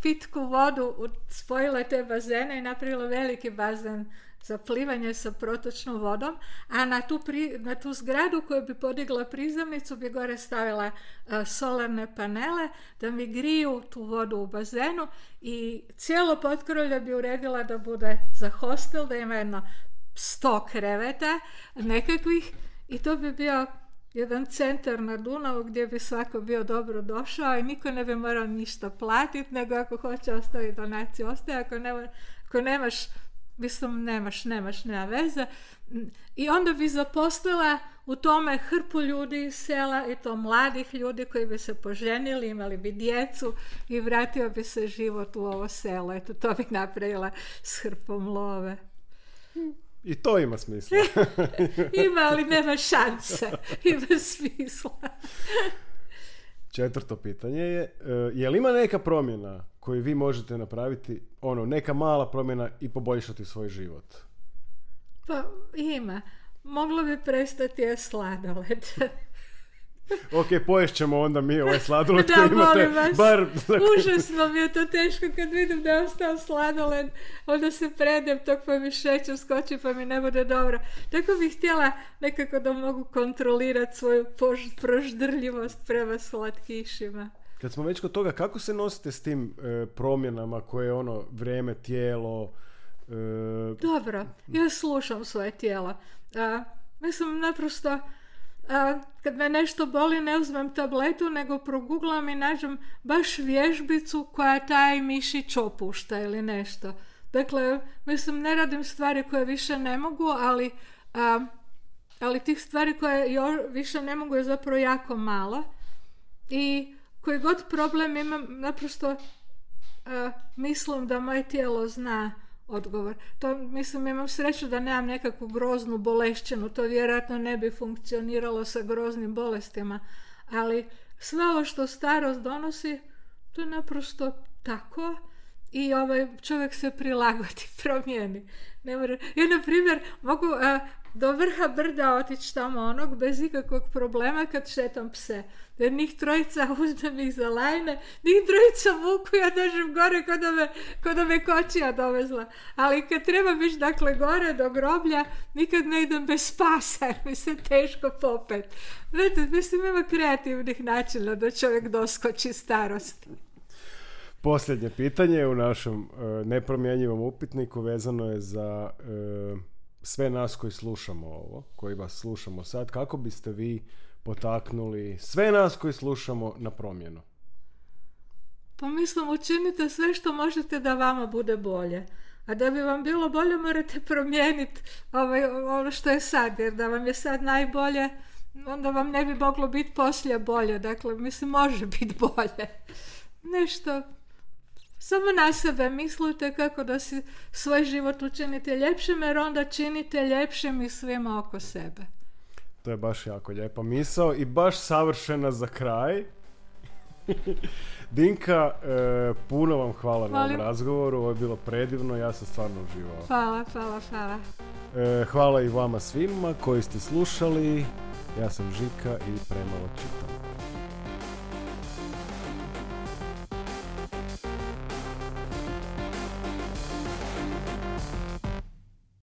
pitku vodu, spojila te bazene i napravila veliki bazen za plivanje sa protočnom vodom, a na tu, pri, na tu zgradu koju bi podigla prizemnicu bi gore stavila uh, solarne panele da mi griju tu vodu u bazenu i cijelo potkrovlje bi uredila da bude za hostel, da ima jedno sto kreveta nekakvih i to bi bio jedan centar na Dunavu gdje bi svako bio dobro došao i niko ne bi morao ništa platiti, nego ako hoće ostaviti donaciju, ostaje, ako, nema, ako nemaš mislim, nemaš, nemaš, nema veze. I onda bi zaposlila u tome hrpu ljudi iz sela i to mladih ljudi koji bi se poženili, imali bi djecu i vratio bi se život u ovo selo. Eto, to bi napravila s hrpom love. I to ima smisla. Ima, ali nema šanse. Ima smisla. Četvrto pitanje je, je li ima neka promjena koju vi možete napraviti, ono, neka mala promjena i poboljšati svoj život? Pa ima. Moglo bi prestati je sladoled. Ok, poješćemo onda mi ovaj sladoled da, koji imate vas, bar... Užasno mi je to teško kad vidim da je ostao sladoled, onda se predem tog pa mi šećer skoči pa mi ne bude dobro. Tako bih htjela nekako da mogu kontrolirati svoju pož- proždrljivost prema slatkišima. Kad smo već kod toga, kako se nosite s tim e, promjenama koje je ono vrijeme, tijelo? E... Dobro, ja slušam svoje tijelo. A, mislim, naprosto a, kad me nešto boli ne uzmem tabletu, nego proguglam i nađem baš vježbicu koja taj mišić opušta ili nešto. Dakle, mislim, ne radim stvari koje više ne mogu, ali, a, ali tih stvari koje jo, više ne mogu je zapravo jako malo. I koji god problem imam, naprosto a, mislim da moje tijelo zna odgovor. To, mislim, imam sreću da nemam nekakvu groznu bolešćinu, to vjerojatno ne bi funkcioniralo sa groznim bolestima, ali sve ovo što starost donosi, to je naprosto tako i ovaj čovjek se prilagodi, promijeni. Ne mora... Ja, na primjer, mogu a, do vrha brda otići tamo onog bez ikakvog problema kad šetam pse. Jer njih trojica uzmem ih za lajne, njih trojica vuku, ja dođem gore kod da me, kod da me kočija dovezla. Ali kad treba biti dakle gore do groblja, nikad ne idem bez pasa, jer mi se teško popet. Znate, mislim, ima kreativnih načina da čovjek doskoči starosti. Posljednje pitanje u našem uh, nepromjenjivom upitniku vezano je za uh, sve nas koji slušamo ovo, koji vas slušamo sad. Kako biste vi potaknuli sve nas koji slušamo na promjenu? Pa mislim, učinite sve što možete da vama bude bolje. A da bi vam bilo bolje morate promijeniti ovaj, ono što je sad. Jer da vam je sad najbolje, onda vam ne bi moglo biti poslije bolje. Dakle, mislim, može biti bolje. Nešto... Samo na sebe mislite kako da si svoj život učinite ljepšim, jer onda činite ljepšim i svima oko sebe. To je baš jako lijepa misao i baš savršena za kraj. Dinka, e, puno vam hvala Volim. na ovom razgovoru, ovo je bilo predivno, ja sam stvarno uživao. Hvala, hvala, hvala. E, hvala i vama svima koji ste slušali, ja sam Žika i premalo čitam.